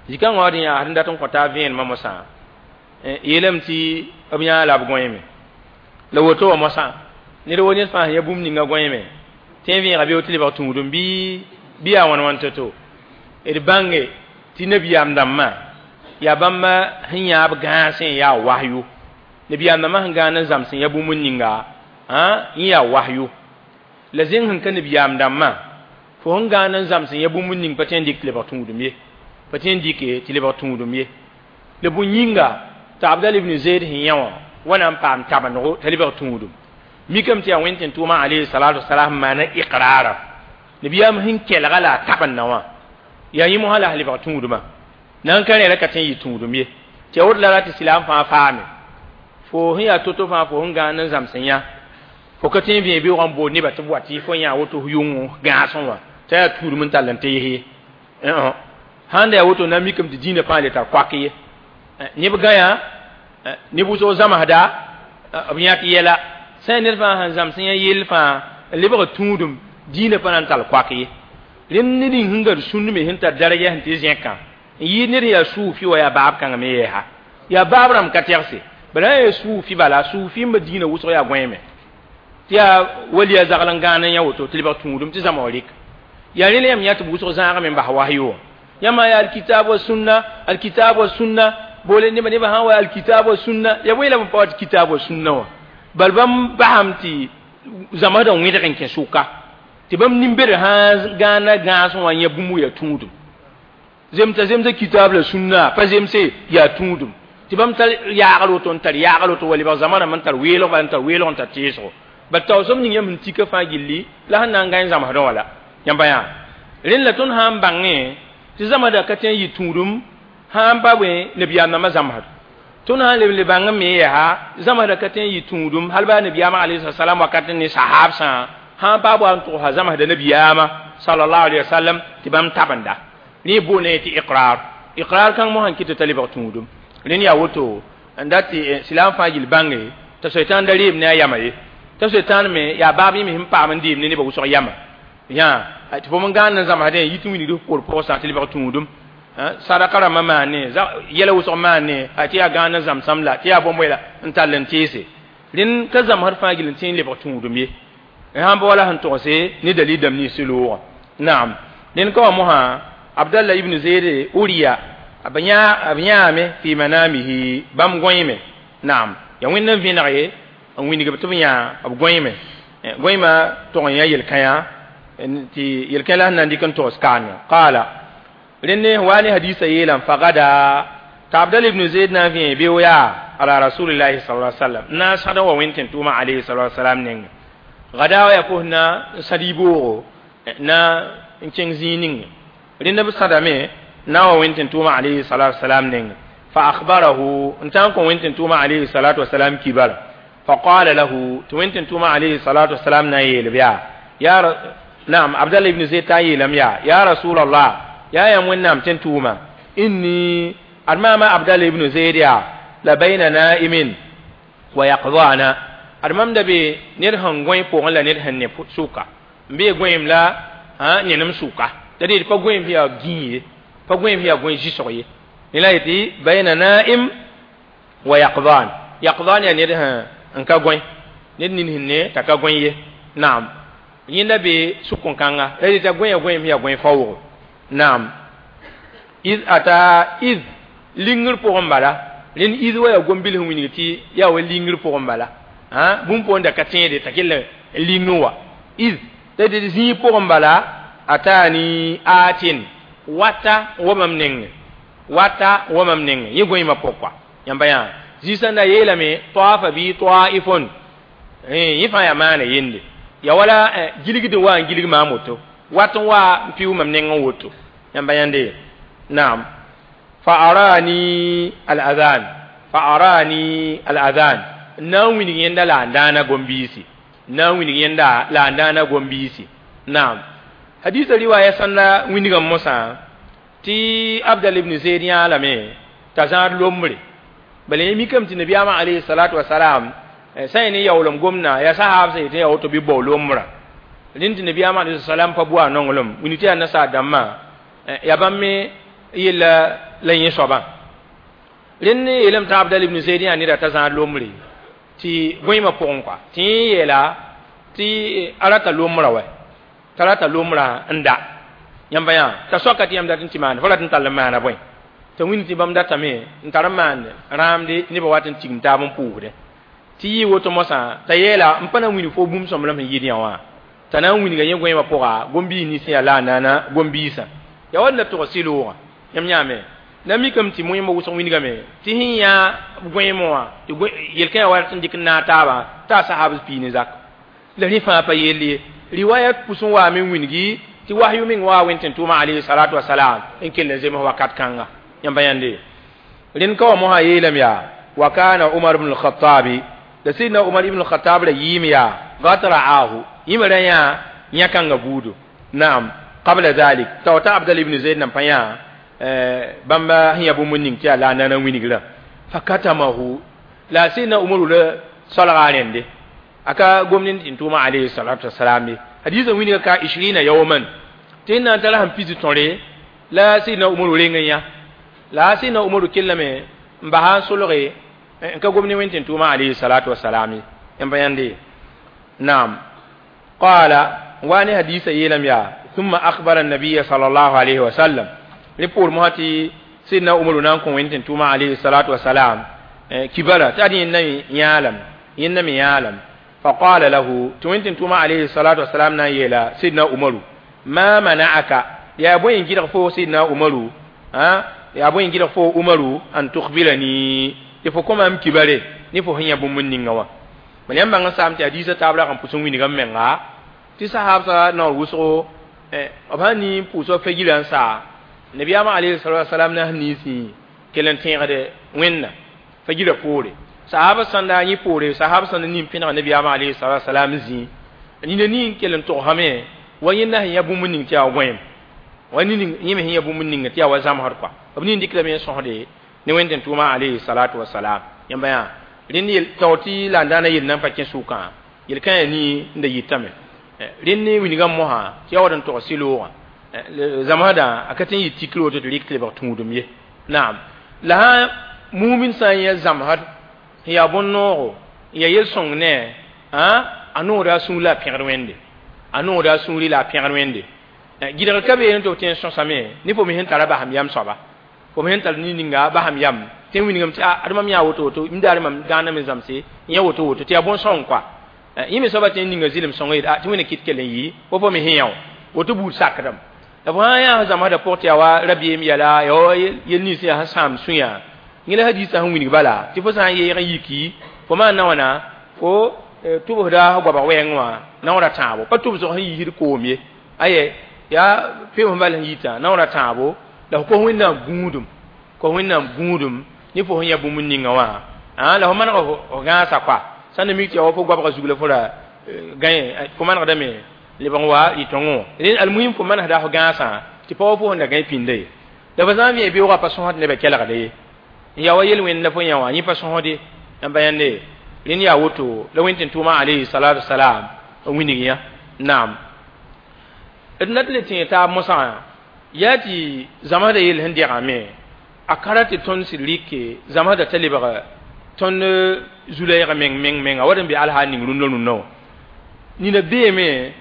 jikan wadi ya hadin datun kota vien mamosa yelem ti abiya la abgoyime la woto mosa ni ro ni fa ya bum ninga goyime tevi rabi otili ba tungudum bi bi a wan wan toto e bange ti nabi am damma ya bamma hinya ab gansen ya wahyu nabi am damma hangana zamsen ya bum ninga ha ya wahyu la zin han kan nabi am damma fo hangana zamsen ya bum ning paten dik le ba tungudum ye paten dik ti le ba tungudum ye le bu nyinga ta abdal ibn zaid hinya wana pam tabano taliba tungudum mikam ti awenten tuma alayhi salatu wassalam mana iqrara nabiyam hin kelga la taban nawa ya yi mu hala haliba tunguduma nan kan ra katin yi tungudum ye te wod la rati silam fa faame fo hin ya toto fa fo nga nan zamsenya fo katin bi bi wan bo ni ba tibwati fo ya woto yungu ga sonwa ta ya turum talante ye eh handa ya woto na mikam ti dina pa le ta kwakiye ni bi gaya ni bu so zama hada abiya ti yela sai ned fãa sẽn zãms yã yell fãa n lebg tũudum diinã pa na n tall koak ye rẽnd ned n sẽn gad sũnd me sẽn tar daraja sẽn tɩ zẽkã n yɩɩd ned yaa suufi wa yaa baab kãngã me yɛɛsa yaa baab rãmb ka tɛgse bala yaa suufi bala suufi n ba diinã wʋsg yaa gõeeme tɩ yaa waliya zagl n gãan n yã woto tɩ lebg tũudum tɩ zãma wa rɩk yaa rẽ la yãmb yã tɩ b wʋsg zãagame n bas wahyo yãmba yaa alkitab wa sunna alkitab wa sunna boole nebã nebã sã wa alkitab wa sunna ya bõe la b pa wa tɩ kitab wa sunna wã bal bãmb basam tɩ zãmsdã wẽdg n kẽ sʋka tɩ bãmb nin-bed sã gãana gãasẽ wã yã bũmb ya tũudum Zemsa zemsa kitab la sunna pa zemse yaa tũudum tɩ bãmb tar yaagr woto n tar yaagr woto wa lebg zãma rãmb n tar weelg bala n tar weelg n tar teesgo bal taoosem ning yãmb sẽn tika fãa gilli la sẽn na n gãe zãmsdẽ wã la yãmba yaa rẽnd la tõnd sã n bãngẽ tɩ zãmsda ka tõe n yɩ tũudum sã n pa bõe nabiyaam nambã zãmsd tõnd sã n leb le bãng me yaa zãmsda ka tõe n yɩ tũudum hal baa nabiyaamã alayhi salam wakat ne sahabsã sã n pa wa n tʋgsa zãmsda nabiyaamã sallallahu alayhi wa sallam tɩ bãmb tabenda rẽ boone tɩ iqrar iqrar kãng mosã n kɩt t'a lebg tũudum rẽnd yaa woto n dat tɩ silaam fãa gill bãnge t'a soetãn da reem ne a yama ye t'a soetãn me yaa baab yẽ me sẽn paam n deem ne nebã wʋsg yama yã tɩ fo n gãand n zãmsdẽ yit n wilgd f por pʋgsã tɩ lebg tũudum sadaka rãmbã maane yɛla wʋsg maane tɩ yaa gãand n zãmsãm la tɩ yaa bõmb la n tall n teese rẽnd ka zãmsd fãa gill n tẽ n lebg tũudum ye sãn pa wala sẽn togse ne dalil dãmb nins loogã naam rẽnd ka wa mosã Abdallah ibn Zayd uriya b yãame fi manamihi bãmb gõeme naam ya wẽnd n vẽneg ye n wilg b tɩ b yã b gõeme gõeemã tog n yã yel-kãyã tɩ yel-kã la sẽn na n dɩk n togs kaane qaala rẽnd wa ne hadisa yeelame fagada t'a Abdallah ibn Zayd na n vẽ beo yaa ala rasulillahi sallallahu alaihi wasallam na n sãd n wa wẽnd tẽn tʋʋmã alayhi salatu wasalam nengẽ gada wa yaa pʋs na n sãd y-boogo na n kẽng zĩig ning rẽnd b sãdame na wa wẽnd tẽn tʋʋmã alayhi salatu wasalam nengẽ fa akhbarahu n tã n kõ wẽnd tẽn tʋʋmã alayhi salatu wasalam kibara fa qala lahu tɩ wẽnd tẽn tʋʋmã alayhi salatu wasalam na n yeel b yaa ya naam Abdallah ibn Zayd t'a yeelame yaa ya rasulallah yaa yãmb wẽnnaam tẽn tʋʋma inni ad maama Abdallah ibn Zayd yaa la bayna naimin wa yaqdana ad mam da be ned sẽn gõe pʋgẽ la ned sẽn ne sʋka n bee gõeem la nenem sʋka la deel pa gõeem sẽn yaa gĩig ye pa gõeem sẽn yaa gõe zɩsg ye ne la yetɩ bayna naim wa yaqdan yaqdan yaa ned sẽn n ka gõe ned nin sẽn ne t'a ka gõe ye naam yẽnda be sʋk-kãnga la deel t'a gõe gõeem sẽn yaa gõe faoog naam iz ata iz lingr pʋgẽ bala rẽnd iz wa yaa gom-bil sẽn wilg tɩ yaa wa lingr pʋgẽ bala bũmb poorẽ da ka tẽede t'a kell n ling n wa iz la deel zĩig pʋgẽ bala atani atin wata n wa mam nengẽ wata n wa mam nengẽ yẽ gõeemã pʋgkwa yãmba yã zĩig na yeelame tawafa bɩ taifon yẽ fãa yaa maana yende ya wala gilgd n wa n gilg maam woto wat n wa n pɩʋ mam nengẽ woto yãmba yãnde naam fa arani al adhan fa arani al adhan na n wilg yẽnda la n daana gom-biisi na n wilg yẽnda la n daana gom-biisi naam hadisa riwaya sãnda wĩndgã mosã tɩ Abdal ibn Zayd yãalame t'a zãad lombre bala yẽ mikame tɩ nabiyaamã alayhi salatu wasalam sã yẽ ne yaoolem gomdã yaa sahaab sã yetɩ yaa woto bɩ bao lombrã rẽnd tɩ nabiyaamã alayhi salam pa bua nonglem wilg tɩ yaa nasaar dãmbã yaa bãmb me yella la yẽ soabã rẽnd yeelame t'a Abdal ibn Zayd yã neda t'a zãad lombre tɩ gõeemã pʋgẽ kɔa tɩ yẽ yeela tɩ a rata lombrã wɛ t'a rata lombrã n da yãmba yã t'a soaka tɩ yãmb dat n tɩ maande fo rat n tall n maana bõe t'a wĩnd tɩ bãmb datame n tar n maan rãamde tɩ nebã wat n tigim taab n pʋʋsdẽ tɩ yɩ woto mosã t'a yeela n pa na n wilg fo bũmb sõmblem sẽn yɩɩd yã wã t'a na n wilga yẽ gõeemã pʋga gom-biis nins sẽn yaa la a naana gom-biisã yaa wa la tʋg sɩ-loogã yãmb yãame na mikame tɩ moẽmba wʋsg wilgame tɩ sẽn yã gõeemã wã tɩ yel-kã yaa wa n dɩk n naag taabã t'a sahabs pii ne zak la rẽ fãa pa yell ye riwayat pʋs n waame n wilgi tɩ wahyu meng wa wẽnd tẽn tʋʋmã alayhi salatu wasalam n kell n zems wakat kãnga yãmba yãnde rẽnd ka wa mosã yeelame yaa wa kana Umar ibn al-Khattabi la sidna Umar ibn al-Khattab ra yɩɩm yaa qad ra'ahu yĩm ra yã yã-kãngã buudo naam qabla dhalik t'a wa ta Abdal ibn Zayd nan pa yã bãmb sẽn yaa bũmb ning tɩ yaa la a nana wilgrã fakatamahu la sidna Umaru la solga a rẽnde aka gomnin tɩ tʋʋmã alayhi salatu wasalam ye hadisa wilga ka ishirina yawman tɩ na n tara sẽn pis tõre la sidna Umaru reng n yã la sidna Umaru kellame n basa n solge n ka gomni wẽnd tẽn tʋʋmã alayhi salatu wasalam ye yãmba yãnde naam qala wa ne hadisa yeelame yaa thumma akhbara an-nabiy sallallahu alayhi wa sallam rẽ poor mosã tɩ sidna Umaru na n kõ wẽnd tẽn tʋʋmã alayhi salatu wasalam kibara tɩ ad yẽnda yãalame yẽnda me yãalame فقال له توينتن توما عليه الصلاة والسلام نايلا سيدنا عمر ما منعك يا بوين جيرغ فو سيدنا عمر ha ya bõe n gɩdg fo Umaru an tukhbirani tɩ fo kõ maam kibare ne fo sẽn yã bũmb n ninga wã bal yãmb bãng n saam tɩ hadiisã taab rag n pʋs n wilgame menga tɩ sahaabsã naoor wʋsgo b sã ni n pʋʋsga fagirã n saa nabiyaamã alayhi salatu wasalam na sẽn ninsẽ kell n tẽegde wẽnna fagirã poore sahaba sãn daa yẽ poore sahab sãn nin pẽnega nabiyaamã alayhi salatu wasalam zĩ nina nin kell n togsame wa yẽnda sẽn yã bũmb ning tɩ yaa gõeem wa nin yẽ me sẽn yã bũmb ning tɩ yaa wa zãmsd kɔa b nin dɩkdame n sõsde ne wẽnd tɩ tʋʋma alayhi salatu wasalam yãmba yaa rẽnd yel taoor tɩ la n daana yel nan pa kẽ sʋkã yel-kã yaa nii n da yitame rẽnd ne wilgã mosã tɩ yaa wa d n tog sɩ-loogã zãmsdã a ka tɩ n yɩ tikr woto tɩ rɩk tɩ lebg tũudum ye naam la sã mumin sã n yã zãmsd n yaa bõn-noogo n yaa yel-sõng ne a noogda a sũur la a pẽgd wẽnde a noogda a sũuri la a pẽgd wẽnde gɩdg ka beene tɩ f tõe n sõsame ne fo me sẽn tara basam yam soaba fo me sẽn tar nin-ninga basam yam tɩ n wilgame tɩ ad mam yaa woto woto m daare mam gãana me zãmse n yã woto woto tɩ yaa bõn-sõng koa yẽ me soaba tɩ n ninga zɩlem sõnga yeel tɩ wẽnna kɩt kell n yɩ fo fo me sẽn yã wã woto buud sakdame la fo sã n yaa zãmsdã pʋg tɩ yaa wa rabeem yɛla yaa wa yel nins yaa sẽn sãam sũyã yẽ la hadiisã sẽn wilg bala tɩ fo sã n yeeg n yiki fo maan na wãna fo tʋbsda goabg wɛɛngẽ wã naoora tãabo pa tʋbsg sẽn yiisd koom ye aye yaa peoos bal sẽn yitã naoora tãabo la fo kos wẽnnaam gũudum kos wẽnnaam gũudum ne fo sẽn yã bũmb ninga wã la fo maneg f gãasa koa sã n na mik tɩ yaa wa fo goabga zug la fo ra gãe fo manegdame lebg n wa rɩ-tõngẽ wã almuhim fo manesda f gãasã tɩ pa wa fo sẽn da gãe pĩnda ye la fo sã n vẽ beoogã pa sõsd nebã kelgda ye n yaa wa yel-wẽnd la fo yã wã yẽ pa sõsde yãmba yãnde rẽnd yaa woto la wẽnd tɩ tʋʋmã alayhi salatu wasalam n wilg yã naam d na tɩ le tẽeg taab mosã yaa tɩ zãmsdã yell sẽn degame a ka ra tɩ tõnd sɩd rɩke zãmsdã t'a lebg tõnd zu-lɛɛg meng meng menga wa d n be alhaal ning rũndã rũndã wã nina beeme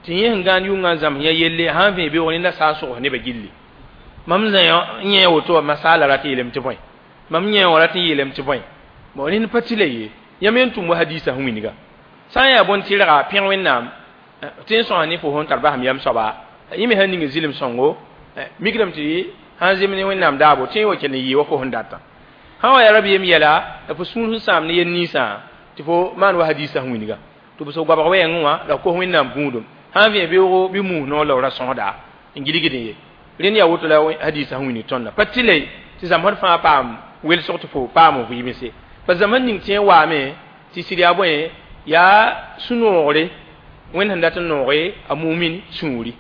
tɩ yẽ sẽn gãan yʋngã n zãms yã yelle sã n vẽ beoog nenda sã n sogs nebã gilli mam zã n yẽ woto wã masaala rat n yeelame tɩ bõe mam yẽ wã rat n yeelame tɩ bõe bon rẽnd pa tɩ la ye yãmb n tʋm wa hadiisã sẽn wilga sã n yaa bõn-tɩrga pẽg wẽnnaam tɩ n sõsa ne fo sẽn tar basam yam soaba yẽ me sãn ning zɩlem sõngo mikdame tɩ sãn zem ne wẽnnaam daabo tɩ wa kell n yɩɩ wa fo sẽn datã sã wa yaa rabeem yɛla la fo sũur sẽn sãam ne yel ninsã tɩ fo maan wa hadiisã sẽn wilga tɩ b sog goabg wɛɛngẽ wã la kos wẽnnaam gũudum sã n vẽ beoogo bɩ muus noor la f ra sõsda n gilgd ye rẽnd yaa woto la hadiisã sẽn wilg tõndã pa tɩ la tɩ zãmsd fãa paam welsg tɩ fo paam vɩɩmse pa zãmsd ning tẽ n waame tɩ sɩd yaa bõe yaa sũ-noogre wẽnd sẽn dat n nooge a mumin sũuri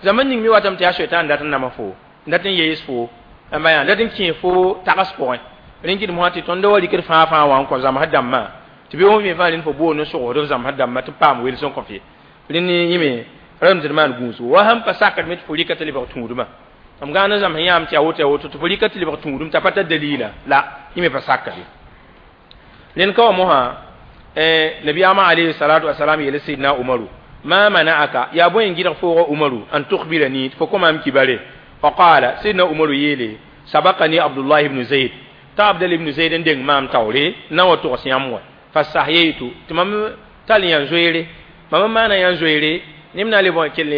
zãmsd ning me watame tɩ yaa soɛtã n dat n nama fo n dat n yees fo ãmba yaa dat n kẽe fo tags pʋgẽ rẽn kɩdem fãa tɩ tõnd wa rɩkd fãa fãa wã n kõ zãmsd dãmbã tɩ be wẽ fãa rẽnd fo boond n sogsd f zãmsd dãmbã tɩ paam wels n kõ f ye rẽnd yẽme rame tɩ d maan gũusgo wa sãn pa sakd me tɩ fo rɩka tɩ lebg tũudmã m gãan n zãms yãam tɩ yaa woto yaa woto tɩ fo rɩka tɩ lebg tũudum t'a pa tar dalila la yẽ me pa sakde rẽnd ka wa mosã nabiyaamã alayhi salatu wasalam yeele sayidna umaru ma mana'aka yaa bõe n gɩdg fooga umaru an tukhbirani tɩ fo kõ maam kibare faqala sayidna umaru yeele sabaqani abdullah ibn zayd t'a abdal ibn zayd n deng maam taoore na wa togs yãmb wã fastahyaytu tɩ mam tall yã zoeere mam n maana yã zoeere neb na le bõe kell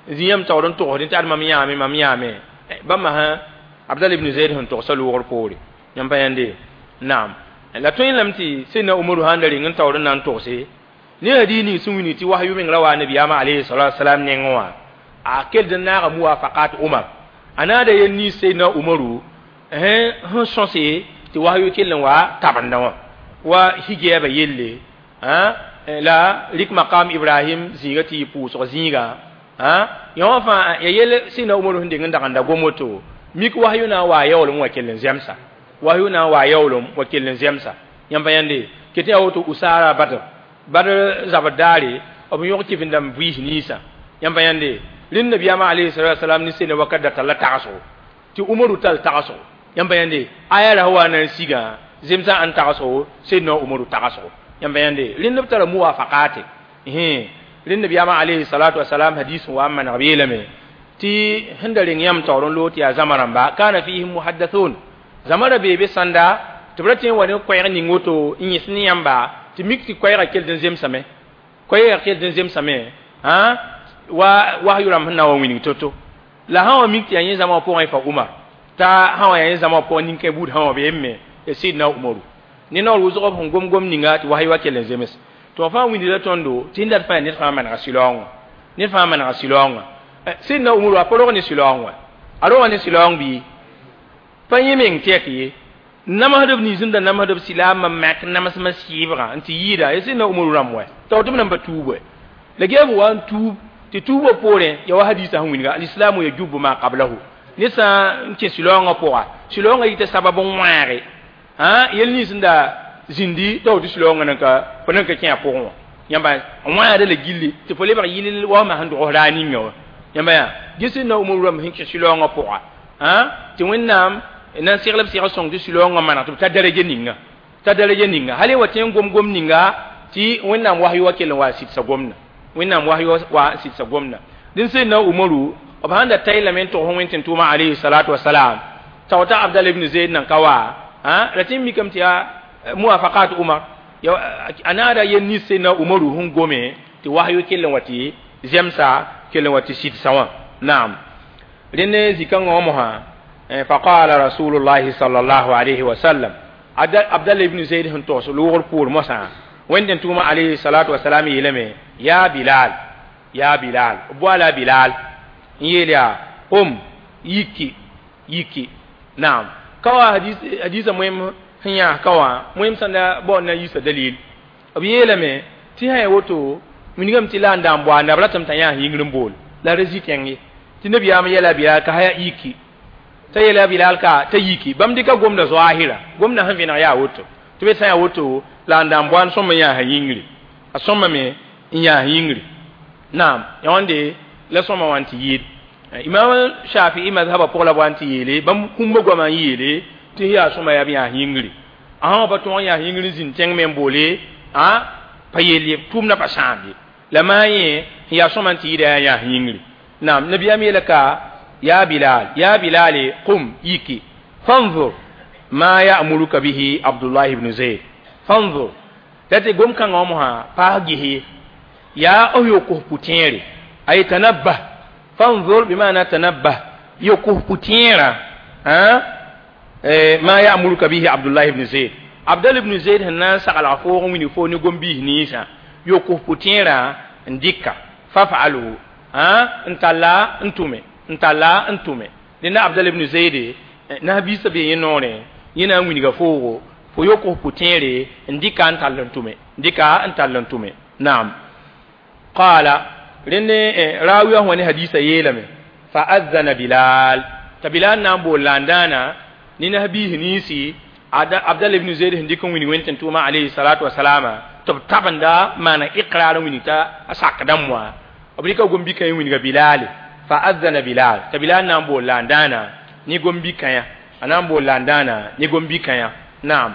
zĩ yãmb taoor n togsdẽ tɩ ad mam yãame mam yãame bãmba sã abdal ibn zayd sẽn togsa loogr poore yãmb pa yãnde naam la tõe lame tɩ sẽdna umaru sãn da reng n taoor n na n togse ne hadiis ning sẽn wilg tɩ wahyu meng ra wa nabiyaamã alayhi salatu wasalam nengẽ wã a kell n naaga muwafaqat umar a naada yel nins sẽdna umaru sẽn sõse tɩ wahyu kell n wa tabenda wã wa higɛɛba yelle la rik maqam ibrahim zĩiga tɩ yɩ pʋʋsg zĩiga yã wã fãa ya yel sẽdna umaru sẽn deng n dagenda gom woto mik wahyu na n waa yaoolem wa kell n zemsa wahyu na n waa yaoolem wa kell n zemsa yãmb pa yãnde ket yaa woto usara badr badr zabr daare b yõg kɩf-dãmb vɩɩs ninsã yãmb pa yãnde rẽnd nabiyaamã alayhi salatu wasalam ne sẽna wakat da talla tagsgo tɩ umaru tall tagsgo yãmb pa yãnde aya ra wa na n sigã zemsã n tagsgo sẽdna umaru tagsgo yãmb pa yãnde rẽnd b tara muwafaqate rẽnd nabiyaamã alayhi salatu wasalam hadis n wa n maneg b yeelame tɩ sẽn da reng yãmb taoor n loog tɩ yaa zãma rãmba kana fihim muhaddathun zãma ra bee be sãnda tɩ b ra tõe n wa ne koɛɛg ning woto n yẽs ne yãmba tɩ mik tɩ koɛɛgã kell n zemsame koɛɛgã kell n zemsame wa wahyu rãmb sẽn na n wa wilg to-to la sã wa mik tɩ yaa yẽ zãma wã pʋgẽ fa umar t'a sã wã yaa zãma pʋgẽ nin-kẽ buud sã wã beeme ya Sidna Umaru ne naoor wʋsg b sẽn gom gom ninga tɩ wasy wa kell n zems tɩ wã fãa wĩndda tõndo tɩ dat fãa ned fãa manega sɩlaoongã ned fãa manega sɩlaoongã Sidna Umaru a pa rog ne sɩlaoong wã a roga ne sɩlaoong bɩ pa yẽ meng tɛk ye namsdb nins n da namsdb silaamã mak namsmã sɩɩbgã n tɩ yɩɩda ya Sidna Umaru rãmb wɛ t'a tɩ b nan pa tuub wɛ la gɛɛb wa n tuub tɩ tuubã poorẽ ya wa hadisa sẽn wilga alislamu yajubu ma qablahu ned sã n kẽ sɩlaoongã pʋga sɩlaoongã yita sabab n wãage yel nins n da zĩndi t'a woto sɩlaoongã nan ka fo nan ka kẽ a pʋgẽ wã yãmba wãada la gilli tɩ fo lebg yɩl wasmã sẽn dogs raar ninga wã yãmba yaa ges Sidna Umaru rãmb sẽn kẽ sɩlaoongã pʋga tɩ Wẽnnaam nan segl b seg sõng tɩ sɩlaoongã maneg tɩ b ta daraja ninga ta daraja ninga hal wa tẽ n gom gom ninga tɩ Wẽnnaam wasy wa kell n wa sɩdsa gomda Wẽnnaam wasy wa sɩdsa gomda dẽn Sidna Umaru b sãn da ta lame n tog Wẽn tɩ tʋʋma alayhi salatu wasalam t'a wata Abdal ibn Zayd nan ka wa ra tɩ n mikame tɩ yaa muwafaqat Umar a naada yel nins Sidna Umaru sẽn gome tɩ wasyo kell n wa tɩ zemsa kell n wa tɩ sɩdsa wã naam rẽnd zĩ-kãngã wã mosã فقال رسول الله صلى الله عليه وسلم عبد الله بن زيد sẽn togs loogr poor mosã Wẽnd tʋʋma alayhi salatu wasalam yeelame ya Bilal ya Bilal boala Bilal n yeel yaa qum yiki yiki naam ka wa hadis hadisa moem sẽn yãas ka wã moem sẽn da bao na yiisa dalil b yeelame tɩ sã ya woto wilgame tɩ la n da n boa nab ratame t'a yãas yĩngr n bool la ra zĩ tẽng ye tɩ nabiyaam yɛla Bilal ka haya yiki t'a yeela Bilal ka t'a yiki bãmb dɩka gomda zoaahira gomda sẽn vẽneg yaa woto tɩ be sã yaa woto la n da n boan sõma yãas yĩngri a sõmame n yãas yĩngri naam ya wãnde la sõma wã n tɩ yɩɩd Imam Shafi'i mazhaba pʋg la b wa n tɩ yeele bãmb kũmbã goamã n yeele tɩ yaa sõma yaa b yãas yĩngri a sã wã pa tõog n yãas yĩngr n zĩnd tẽng me n boole a pa yeel ye tʋʋmdã pa sãam ye la maa yẽ sẽn yaa sõma n tɩ yɩɩda yaa yãas yĩngri naam nabiyaam yeela ka ya Bilal ya Bilal qum yiki fanzur ma ya'muruka bihi Abdullah ibn Zayd fanzur tɩ gom kãngã wã mosã paas gese yaa f yo-kos pʋ-tẽere ay tanabbah fanzur bima'na tanabbah yo-kos pʋ-tẽerã ma ya'muruka bihi Abdullah ibn Zayd Abdullah ibn Zayd sẽn na n saglg foog n wilg foo ne gom-biis ninsã yo-kos pʋ-tẽerã n dɩka faf'alhu n talla n tʋme n talla n tʋme dẽnda Abdallah ibn Zayd nabiisã bee yẽ noorẽ yẽ na n wilga foogo fo yo-kos pʋ-tẽere n dɩka n tall n tʋme dɩka n tall n tʋme naam qala rẽnd raawiyã wã ne hadisa yeelame fa azana Bilal t'a Bilal na n bool la n dãana ne nabiis ninsi Abdallah ibn Zayd sẽn dɩk n wilg Wẽnd tɩ tʋʋma alayhi salatu wasalama tɩ b tabenda maana iqrar n wilg t'a a sak dãmb wã b rɩka gom-bikã n wilga Bilal fa azana Bilal t'a Bilal na n bool la n dãana ne gom-bikã a na n bool la n dãana ne gom-bikã naam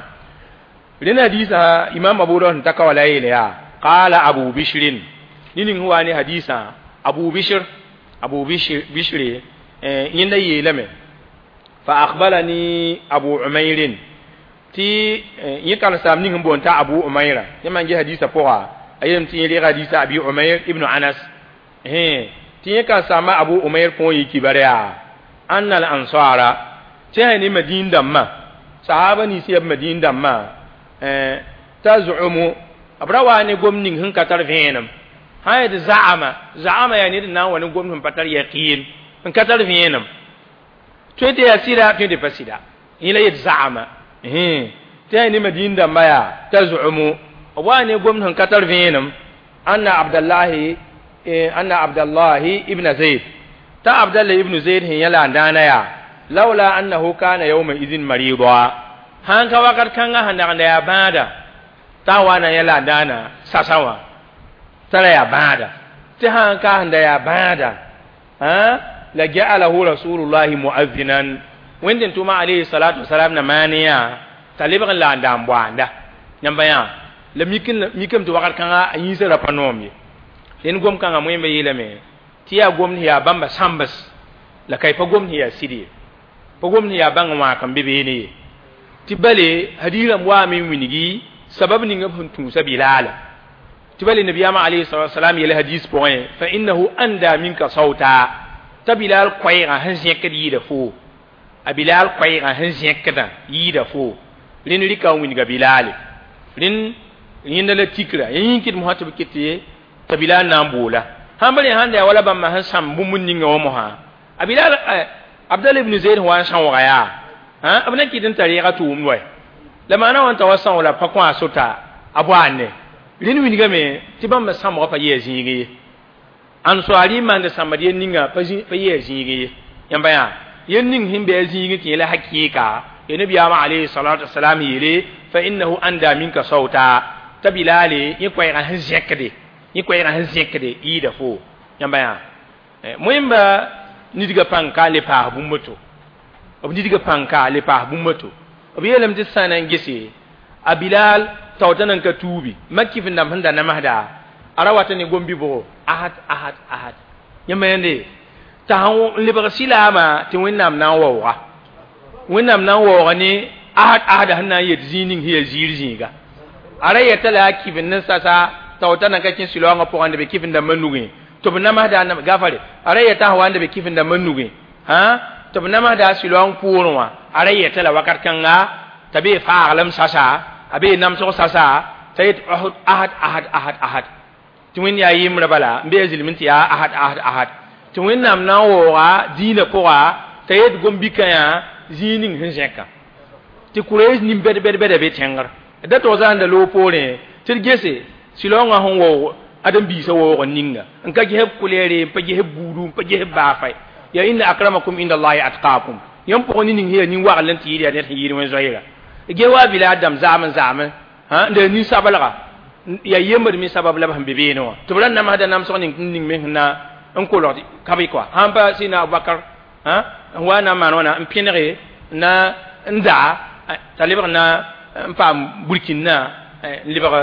rẽnd hadisa Imam Abu Dawud sẽn ta ka wa la yeele yaa qala Abu Bishrin ne ning sẽn wa ne hadisa Abu Bishr Abu Bishr Bishr yẽnda yeelame fa akhbarani Abu Umayr tɩ yẽ karen-saam ning sẽn boond t'a Abu Umayra yẽ maan ges hadisa pʋga a yeelame tɩ yẽ reega hadisa Abi Umayr ibn Anas tɩ yẽ karen-saamba Abu Umayr põor yɩ kibar yaa anna al ansara tɩ sã ne Madin dãmbã sahaba nins yaa b Madin dãmbã tazumu b ra wa ne gom ning sẽn ka tar vẽenem sã yaa zaama zaama yaa ned n na n wa ne gom sẽn pa tar yaqin n ka tar vẽenem tõe tɩ yaa sɩda tõe tɩ pa sɩda yẽ la yet zaama tɩ yaa ne Madin dãmbã yaa tazumu b wa ne gom sẽn ka tar vẽenem anna Abdallahi anna Abdallahi ibn Zayd ta Abdallah ibn Zayd sẽn yã la n dãana yaa laula annahu kana yawma idhin marida sãn ka wakat kãngã sẽn dag n da yaa bãada t'a wa na yã la n dãana sasã wã t'a ra yaa bãada tɩ sãn ka sẽn da yaa bãada la ja'alahu rasulullahi mu'azzinan Wẽnd tɩ tʋʋma alayhi salatu wasalam na maan yã t'a lebg n la n da n boanda yãmba yã la mikame tɩ wakat kãngã a yĩnsã ra pa noom ye rẽnd gom kãngã moẽmba yeelame tɩ yaa gomd yaa bãmba sãmbs la ka pa gomd yaa sɩd ye pa gomd yaa bãng wãak n be beene ye tɩ bale hadiis rãmb waame n wilgi sabab ninga b sẽn tũusa Bilaala tɩ bale nabiyaamã alayhi salatu wasalam yel hadis pʋgẽ fa innahu anda minka sawta t'a Bilal koɛɛgã sẽn zẽkd yɩɩda foo A Bilal koɛɛgã sẽn zẽkdã yɩɩda foo rẽnd rɩka n wilga Bilaale rẽnd yẽnda la tikra yẽ yĩn kɩt mosã tɩ b ket t'a Bilal na n boola sãn pa rẽ sãn da yaa wala bãmba sẽn sãm bũmb ninga wã mosã a Bilal Abdallah ibn Zayd sẽn wa n sãooga yaa b na kɩt n tar yɛga tʋʋmd wa la maana wã n ta wa são la pa kõ a sota a boaande rẽnd wilgame tɩ bãmb sãmbgã pa yɩa zĩig ye ansoari maand sãmbd yel ninga pa yɩa zĩig ye yãmba yaa yel ning sẽn bɩ a zĩig tɩ yẽla hakɩɩka ya nabiyaamã alayhi salatu wasalam yeele fa innahu anda minka sawta t'a Bilaale yẽ koɛɛgã sẽn zẽkde yẽ koɛɛgã sẽn zẽkde yɩɩda fo yãmba yaa moẽmba nidgã pãng ka le paas bũmb to b nidgã pãng ka le paas bũmb to b yeelame tɩ sã na n gese a Bilal taoota nan ka tuubi mak kɩf n dãmb sẽn da namsda a ra wata ne gom-bɩbgo ahad ahad ahad yãmba yãnde t'a sãn lebg silaamã tɩ Wẽnnaam na n waooga Wẽnnaam na n waooga ne ahad ahada sẽn na n yet zĩig ning sẽn yaa ziir zĩiga a ra yeta la a kɩf n ne sasa taoota nan ka kẽ sɩlaoongã pʋgã n da be kɩf n dãmbã nugẽ tɩ b namsda gafare a ra yeta sã wa n da be kɩf n dãmbã nugẽ tɩ b namsda sɩlaoong poorẽ wã a ra yeta la wakat kãnga t'a bee faaglem sasa a bee namsg sasa t'a yet ahad ahad ahad ahad tɩ Wẽnd yaa yembrã bala n bee zilm tɩ yaa ahad ahad ahad tɩ Wẽnnaam na n waooga dĩinã pʋga t'a yet gom-bikã yaa zĩig ning sẽn zẽka tɩ Kurɛs nin bɛd bɛd bɛda be tẽngr da tog zãanda loog poorẽ tɩ d gese sɩlaoongã sẽn waoog ãdem-biisã waoog n ninga n ka ges b kulɛɛre n pa ges b buudu n pa ges b baafa ya inna akramakum inda allahi atqakum yãmb pʋgẽ ne ning sẽn yaa nin-wagl n tɩ yɩɩd yaa ned sẽn yɩɩd wẽn-zoeera ges wa Bilal dãmb zaam n zaame n da nin-sablga yaa yembd me sabab la b sẽn be beene wã tɩ b ra namsda namsg ning ning me sẽn na n kolgd kabe kɔa sãn pa sɩna Abubakar n wa na n maan wãna n pẽnege na n daa t'a lebg na n paam burkĩnna n lebg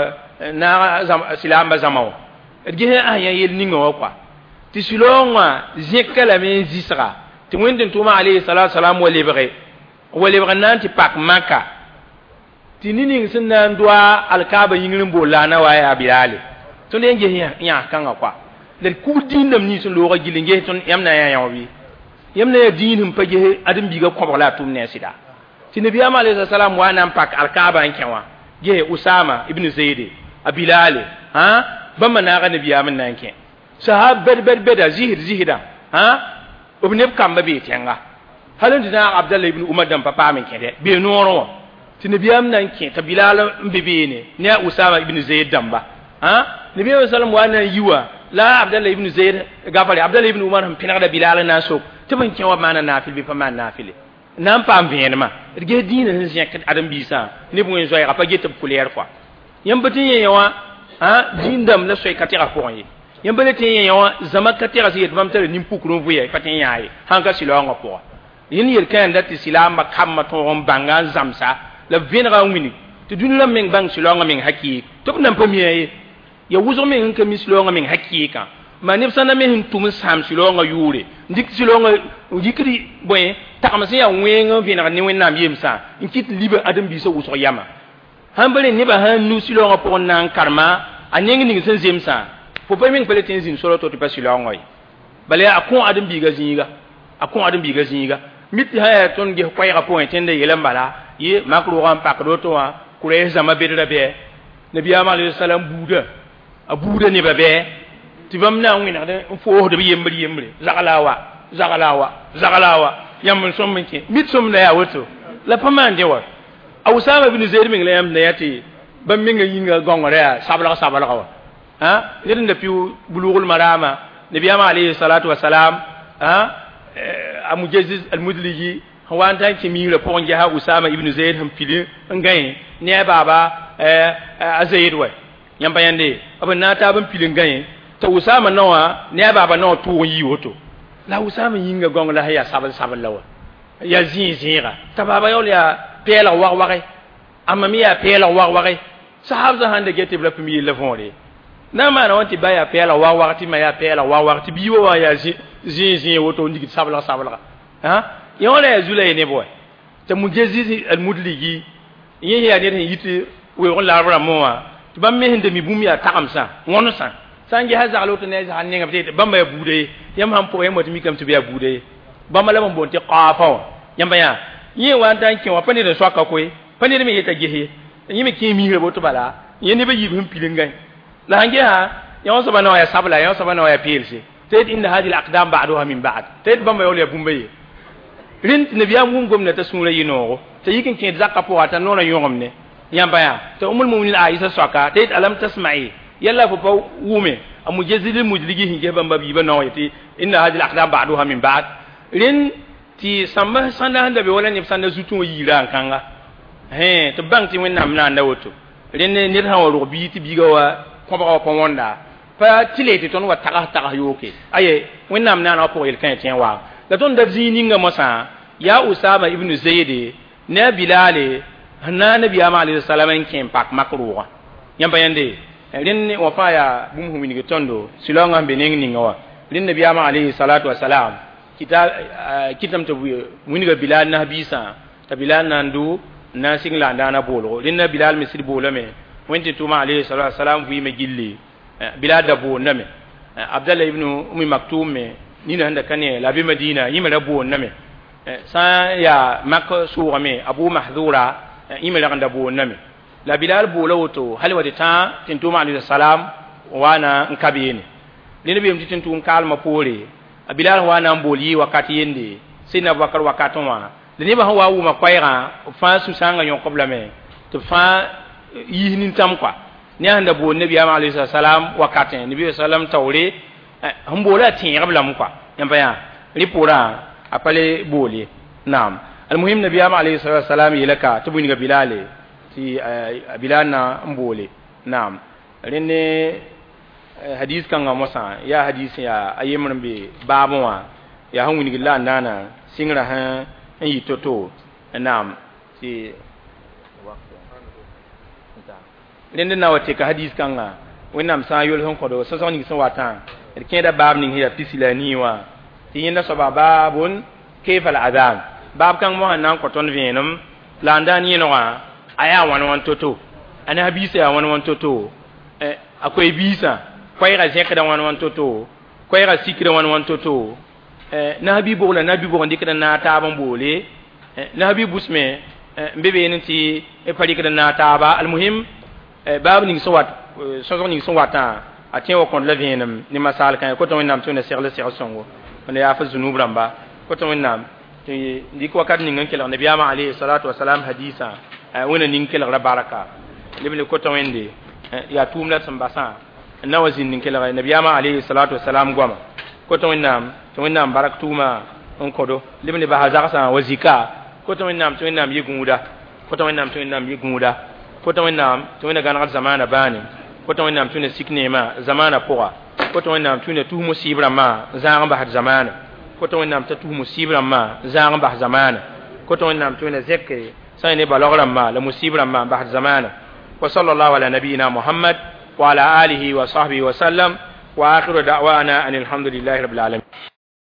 naag silaambã zãma wã d ges a yã yel ninga wã kɔa tɩ sɩlaoong wã zẽka lame n zɩsga tɩ Wẽnd tʋʋma alayhi salatu salam wa lebge wa lebg n na n tɩ pak Maka tɩ ne ning sẽn na n doa alkaaba yĩngr n bool la a na wa yaa Bilaale tõnd yẽ ges yãs kãngã kɔa la d kubd dĩindame nins n looga gill n ges tõnd yãmb na n yaa yão bɩ yãmb na yaa dĩin sẽn pa ges ãdem-biigã kõbg la a tʋm ne a sɩda tɩ nabiyaamã alayhi salam wa na n pak alkaaba n kẽ wã ges Usama ibn Zayde a Bilaale bãmba naaga nabiyaam n na n kẽ sahab bɛd bɛd bɛda zɩsd zɩsdã b neb kambã bee tẽnga hal n tɩ naag Abdallah ibn Umar dãmb pa paam n kẽdɛ bee noorẽ wã tɩ nabiyaam na n kẽ t'a Bilal n be beene ne a Usama ibn Zayd dãmba nabiyaam sallam wa na n yi wã la Abdallah ibn Zayd gafare Abdallah ibn Umar sẽn pẽnegda Bilal n na n sok tɩ b n kẽ wã maana naafɩl bɩ pa maan naafɩle na n paam vẽenemã d ges dĩinã sẽn zẽk ãdem-biisã neb wẽn-zoɛɛga pa get b kulɛɛr kɔa yãmb pa tɩ yẽ wã dĩin dãmb la soy ka tɛga pʋgẽ ye yãmb pa le tɩ yẽ wã zãma ka tɛga sẽn yet bãmb tara nin-pukr n vʋya pa tɩ n yãa ye sãn ka sɩlaoongã pʋga yẽnd yel-kãenda tɩ silaambã kambã tõog n bãnga n zãmsa la b vẽnega n wilg tɩ dũni rãmb meng bãng sɩlaoongã meng hakɩɩk tɩ b nan pa mia ye ya wʋsg meng n ka mi sɩlaoongã meng hakɩɩkã maa neb sã na me sẽn tʋm n sãam sɩlaoongã yʋʋre n dɩk sɩlaoongã n dɩkd bõe tagem sẽn yaa wẽng n vẽneg ne Wẽnnaam yemsã n kɩt liba ãdem-biisã wʋsg yama sãn pa rẽ nebã sãn nu sɩlaoongã pʋgẽ na n karema a neng ning sẽn zemsã fo pa meng pa le tɩ n zĩnd sora to tɩ pa sɩlaoongã ye bala a kõ ãdem-biigã zĩiga a kõ ãdem-biigã zĩiga mit sã yaa tõnd ges koɛɛgã pʋgẽ tẽnda yel n bala yɩ mak roogã n pakd woto wã Kurɛs zãma bedra bɩ nabiyaamã alayhi salam buuda a buuda nebã bɩ tɩ bãmb na n wẽnegd n foosd b yembr yembre zagla wa zagla wa zagla wa yãmb n sõm n kẽ mit sõmda yaa woto la pa maan dẽ wa a Usama ibn Zayd meng la yãmb na yaa tɩ bãmb menga yĩnga gãongr yaa sablg sablga wa ned n da pɩ Bulugl Marama nabiyaamã alayhi salatu wasalam a Mujaziz al-Mudliji sẽn wa n tã n kẽ miirã pʋgẽ gesa Usama ibn Zayd sẽn pil n gãe ne a baaba a Zayd wa yãmb pa yãnde b n na n taab n pil n gãe t'a Usama naowã ne a baaba naowã tʋʋg n yii woto la Usama yĩnga gãong la sẽn yaa sabl sabl la wa yaa zĩig zẽega t'a baaba yaool yaa pɛɛlg wag-wage a ma me yaa pɛɛlg wag-wage sahabsã sãn da get tɩ b ra pʋm yella võore na n maana wã tɩ ba yaa pɛɛlg wag-wag tɩ ma yaa pɛɛlg wag-wag tɩ biibã wã yaa zĩig zĩig woto n digd sablg sablga yẽ wã la yaa zu la ye neb wa t'a Mujaziz al-Mudligi yẽ yaa ned sẽn yit weoog n larb rãmbẽ wã tɩ bãmb me sẽn da mi bũmb yaa tagemsã wõnesã sã n gesa zagl woto ne a zagl nengã tɩ bãmba yaa buuda ye yãmb sãn pʋga yãmb wa tɩ mikame tɩ b yaa buuda ye bãmba la b n boond tɩ qaafã wã Yãmba yaa yẽ wa n ta n kẽ wã pa ned n soaka koe pa ned me yeta ges ye yẽ me kẽ misra boto bala yẽ neb a yiib sẽn pilengã la sãn gesa yã soaba na wa yaa sabla yã soaba na wa yaa peelse tɩ inna hadihi al-aqdam ba'duha min ba'd tɩ bãmba yaool yaa bũmba ye rẽnd tɩ nabiyaam wʋm gomda t'a sũurã yɩ noogo t'a yik n kẽed zakã pʋga t'a noorã yõgemne yãmba yaa t'a umul muminin Aisha soaka tɩ alam tasma'i yalla fo pa wʋme a mujazil mujligi sẽn ges bãmba biibã nao yetɩ inna hadihi al-aqdam ba'duha min ba'd rẽnd tɩ sãmba sãnda sẽn da be wala neb sãnda zutẽ wã yiira n kãnga tɩ b bãng tɩ Wẽnnaam naanda woto rẽnd ned sã n wa rog bii tɩ biiga wa kõbga wa pa wõnda pa tɩ le tɩ tõnd wa tags tags yooke aye Wẽnnaam naana wã pʋg yel-kãe tẽ n waag la tõnd da zĩig ninga mosã yaa Usama ibn Zayd ne a Bilale sẽn na nabiyaamã alayhi salam n kẽ n pak mak roogã yãmba yãnde rẽnd wã fãa yaa bũmb sẽn wilg tõndo sɩlaoongã sẽn be neng ninga wã rẽnd nabiyaamã alayhi salatu wasalam kita kɩtame tɩ wilga Bilal nas-biisã t'a Bilal na n dʋ n na n sɩng la n daana boolgo rẽnd na Bilal me sɩd boolame wẽnd tɩ tʋʋmã alayhi salatu wasalam vɩɩme gilli Bilal da boondame Abdallah ibn Umi Maktum me nina sẽn da ka ne la be Madina yẽ me ra boondame sã n yaa mak sʋʋgame Abu Mahdura yẽ me rag n da boondame la Bilal boola woto hal wa tɩ tã tɩ tʋʋmã alayhi salam waana n ka beene rẽnd beem tɩ tẽn-tʋʋm kaalmã poore a Bilal wa na n bool yɩ wakat yende Sidna Abubakar wakatẽ wã la nebã sẽn wa wʋma koɛɛgã b fãa sũ-sãangã yõk-b lame tɩ b fãa yiis nintãm kɔa ne a sẽn da bool nabiyaamã alayhi salam wakatẽ nabi sallam taoore sẽn boola a tẽegb lame kɔa yãmba yaa rẽ poorã a pa le bool ye naam almuhim nabiyaamã alayhi salam yeela ka tɩ b wilga Bilale tɩ Bilal na n boole naam rẽnd ne hadis kãngã mosã yaa hadis yaa a yembr n be baabẽ wã yaa sẽn wilgd la a naana sɩngrã sẽn n yɩ to-to naam tɩ rẽnd na wa teka hadis kãngã Wẽnnaam sã n yol sẽn kõdo sõsg ning sẽn watã d kẽeda baab ning sẽn yaa pisi la a nii wã tɩ yẽnda soaba baabun kayfa al-adhan baab kãng mosã na n kõ tõnd vẽenem la n daan yẽnegã a yaa wãn wãn to-to a na-biisã yaa wãn wãn to-to a koe-biisã koɛɛgã zẽkda wãn wãn to-to koɛɛgã sikda wãn wãn to-to nabi bog la nabi bog n dɩkd n naag taab n boole nabi busme n be beene tɩ pa rɩkd n naag taaba almuhim baab ning sẽn wat sõsg ning sẽn watã a tẽ wa kõd la vẽenem ne masaal kãe kotã Wẽnnaam tɩ Wẽnna segl segl sõngo wẽnna yaaf zunub rãmba kotã Wẽnnaam tɩ dɩk wakat ning n kelg nabiyaamã alayhi salatu wasalam hadisã Wẽnna ning kelgra baraka leb le kotã Wẽnde yaa tʋʋm la sẽn basã n na wa zĩnd n kelg nabiyaamã alayhi salatu wasalam goama kotã Wẽnnaam tɩ Wẽnnaam barak tʋʋma n kõdo leb le basa zagsã wa zika kotã Wẽnnaam tɩ Wẽnnaam yɩ gũuda kotã Wẽnnaam tɩ Wẽnnaam yɩ gũuda kotã Wẽnnaam tɩ Wẽnna gãnegd zamaana bãane kotã Wẽnnaam tɩ Wẽnna sik neemã zamaana pʋga kotã Wẽnnaam tɩ Wẽnna tus musiib rãmbã zãag n basd zamaana kotã Wẽnnaam t'a tus musiib rãmbã zãag n bas zamaana kotã Wẽnnaam tɩ Wẽnna zẽke sã n ne balg rãmbã la musiib rãmbã n basd zamaana wa sallallahu ala nabiyina Muhammad wa ala alihi wa sahbihi wa sallam wa akhiru da'wana an alhamdulillahi rabbil alamin.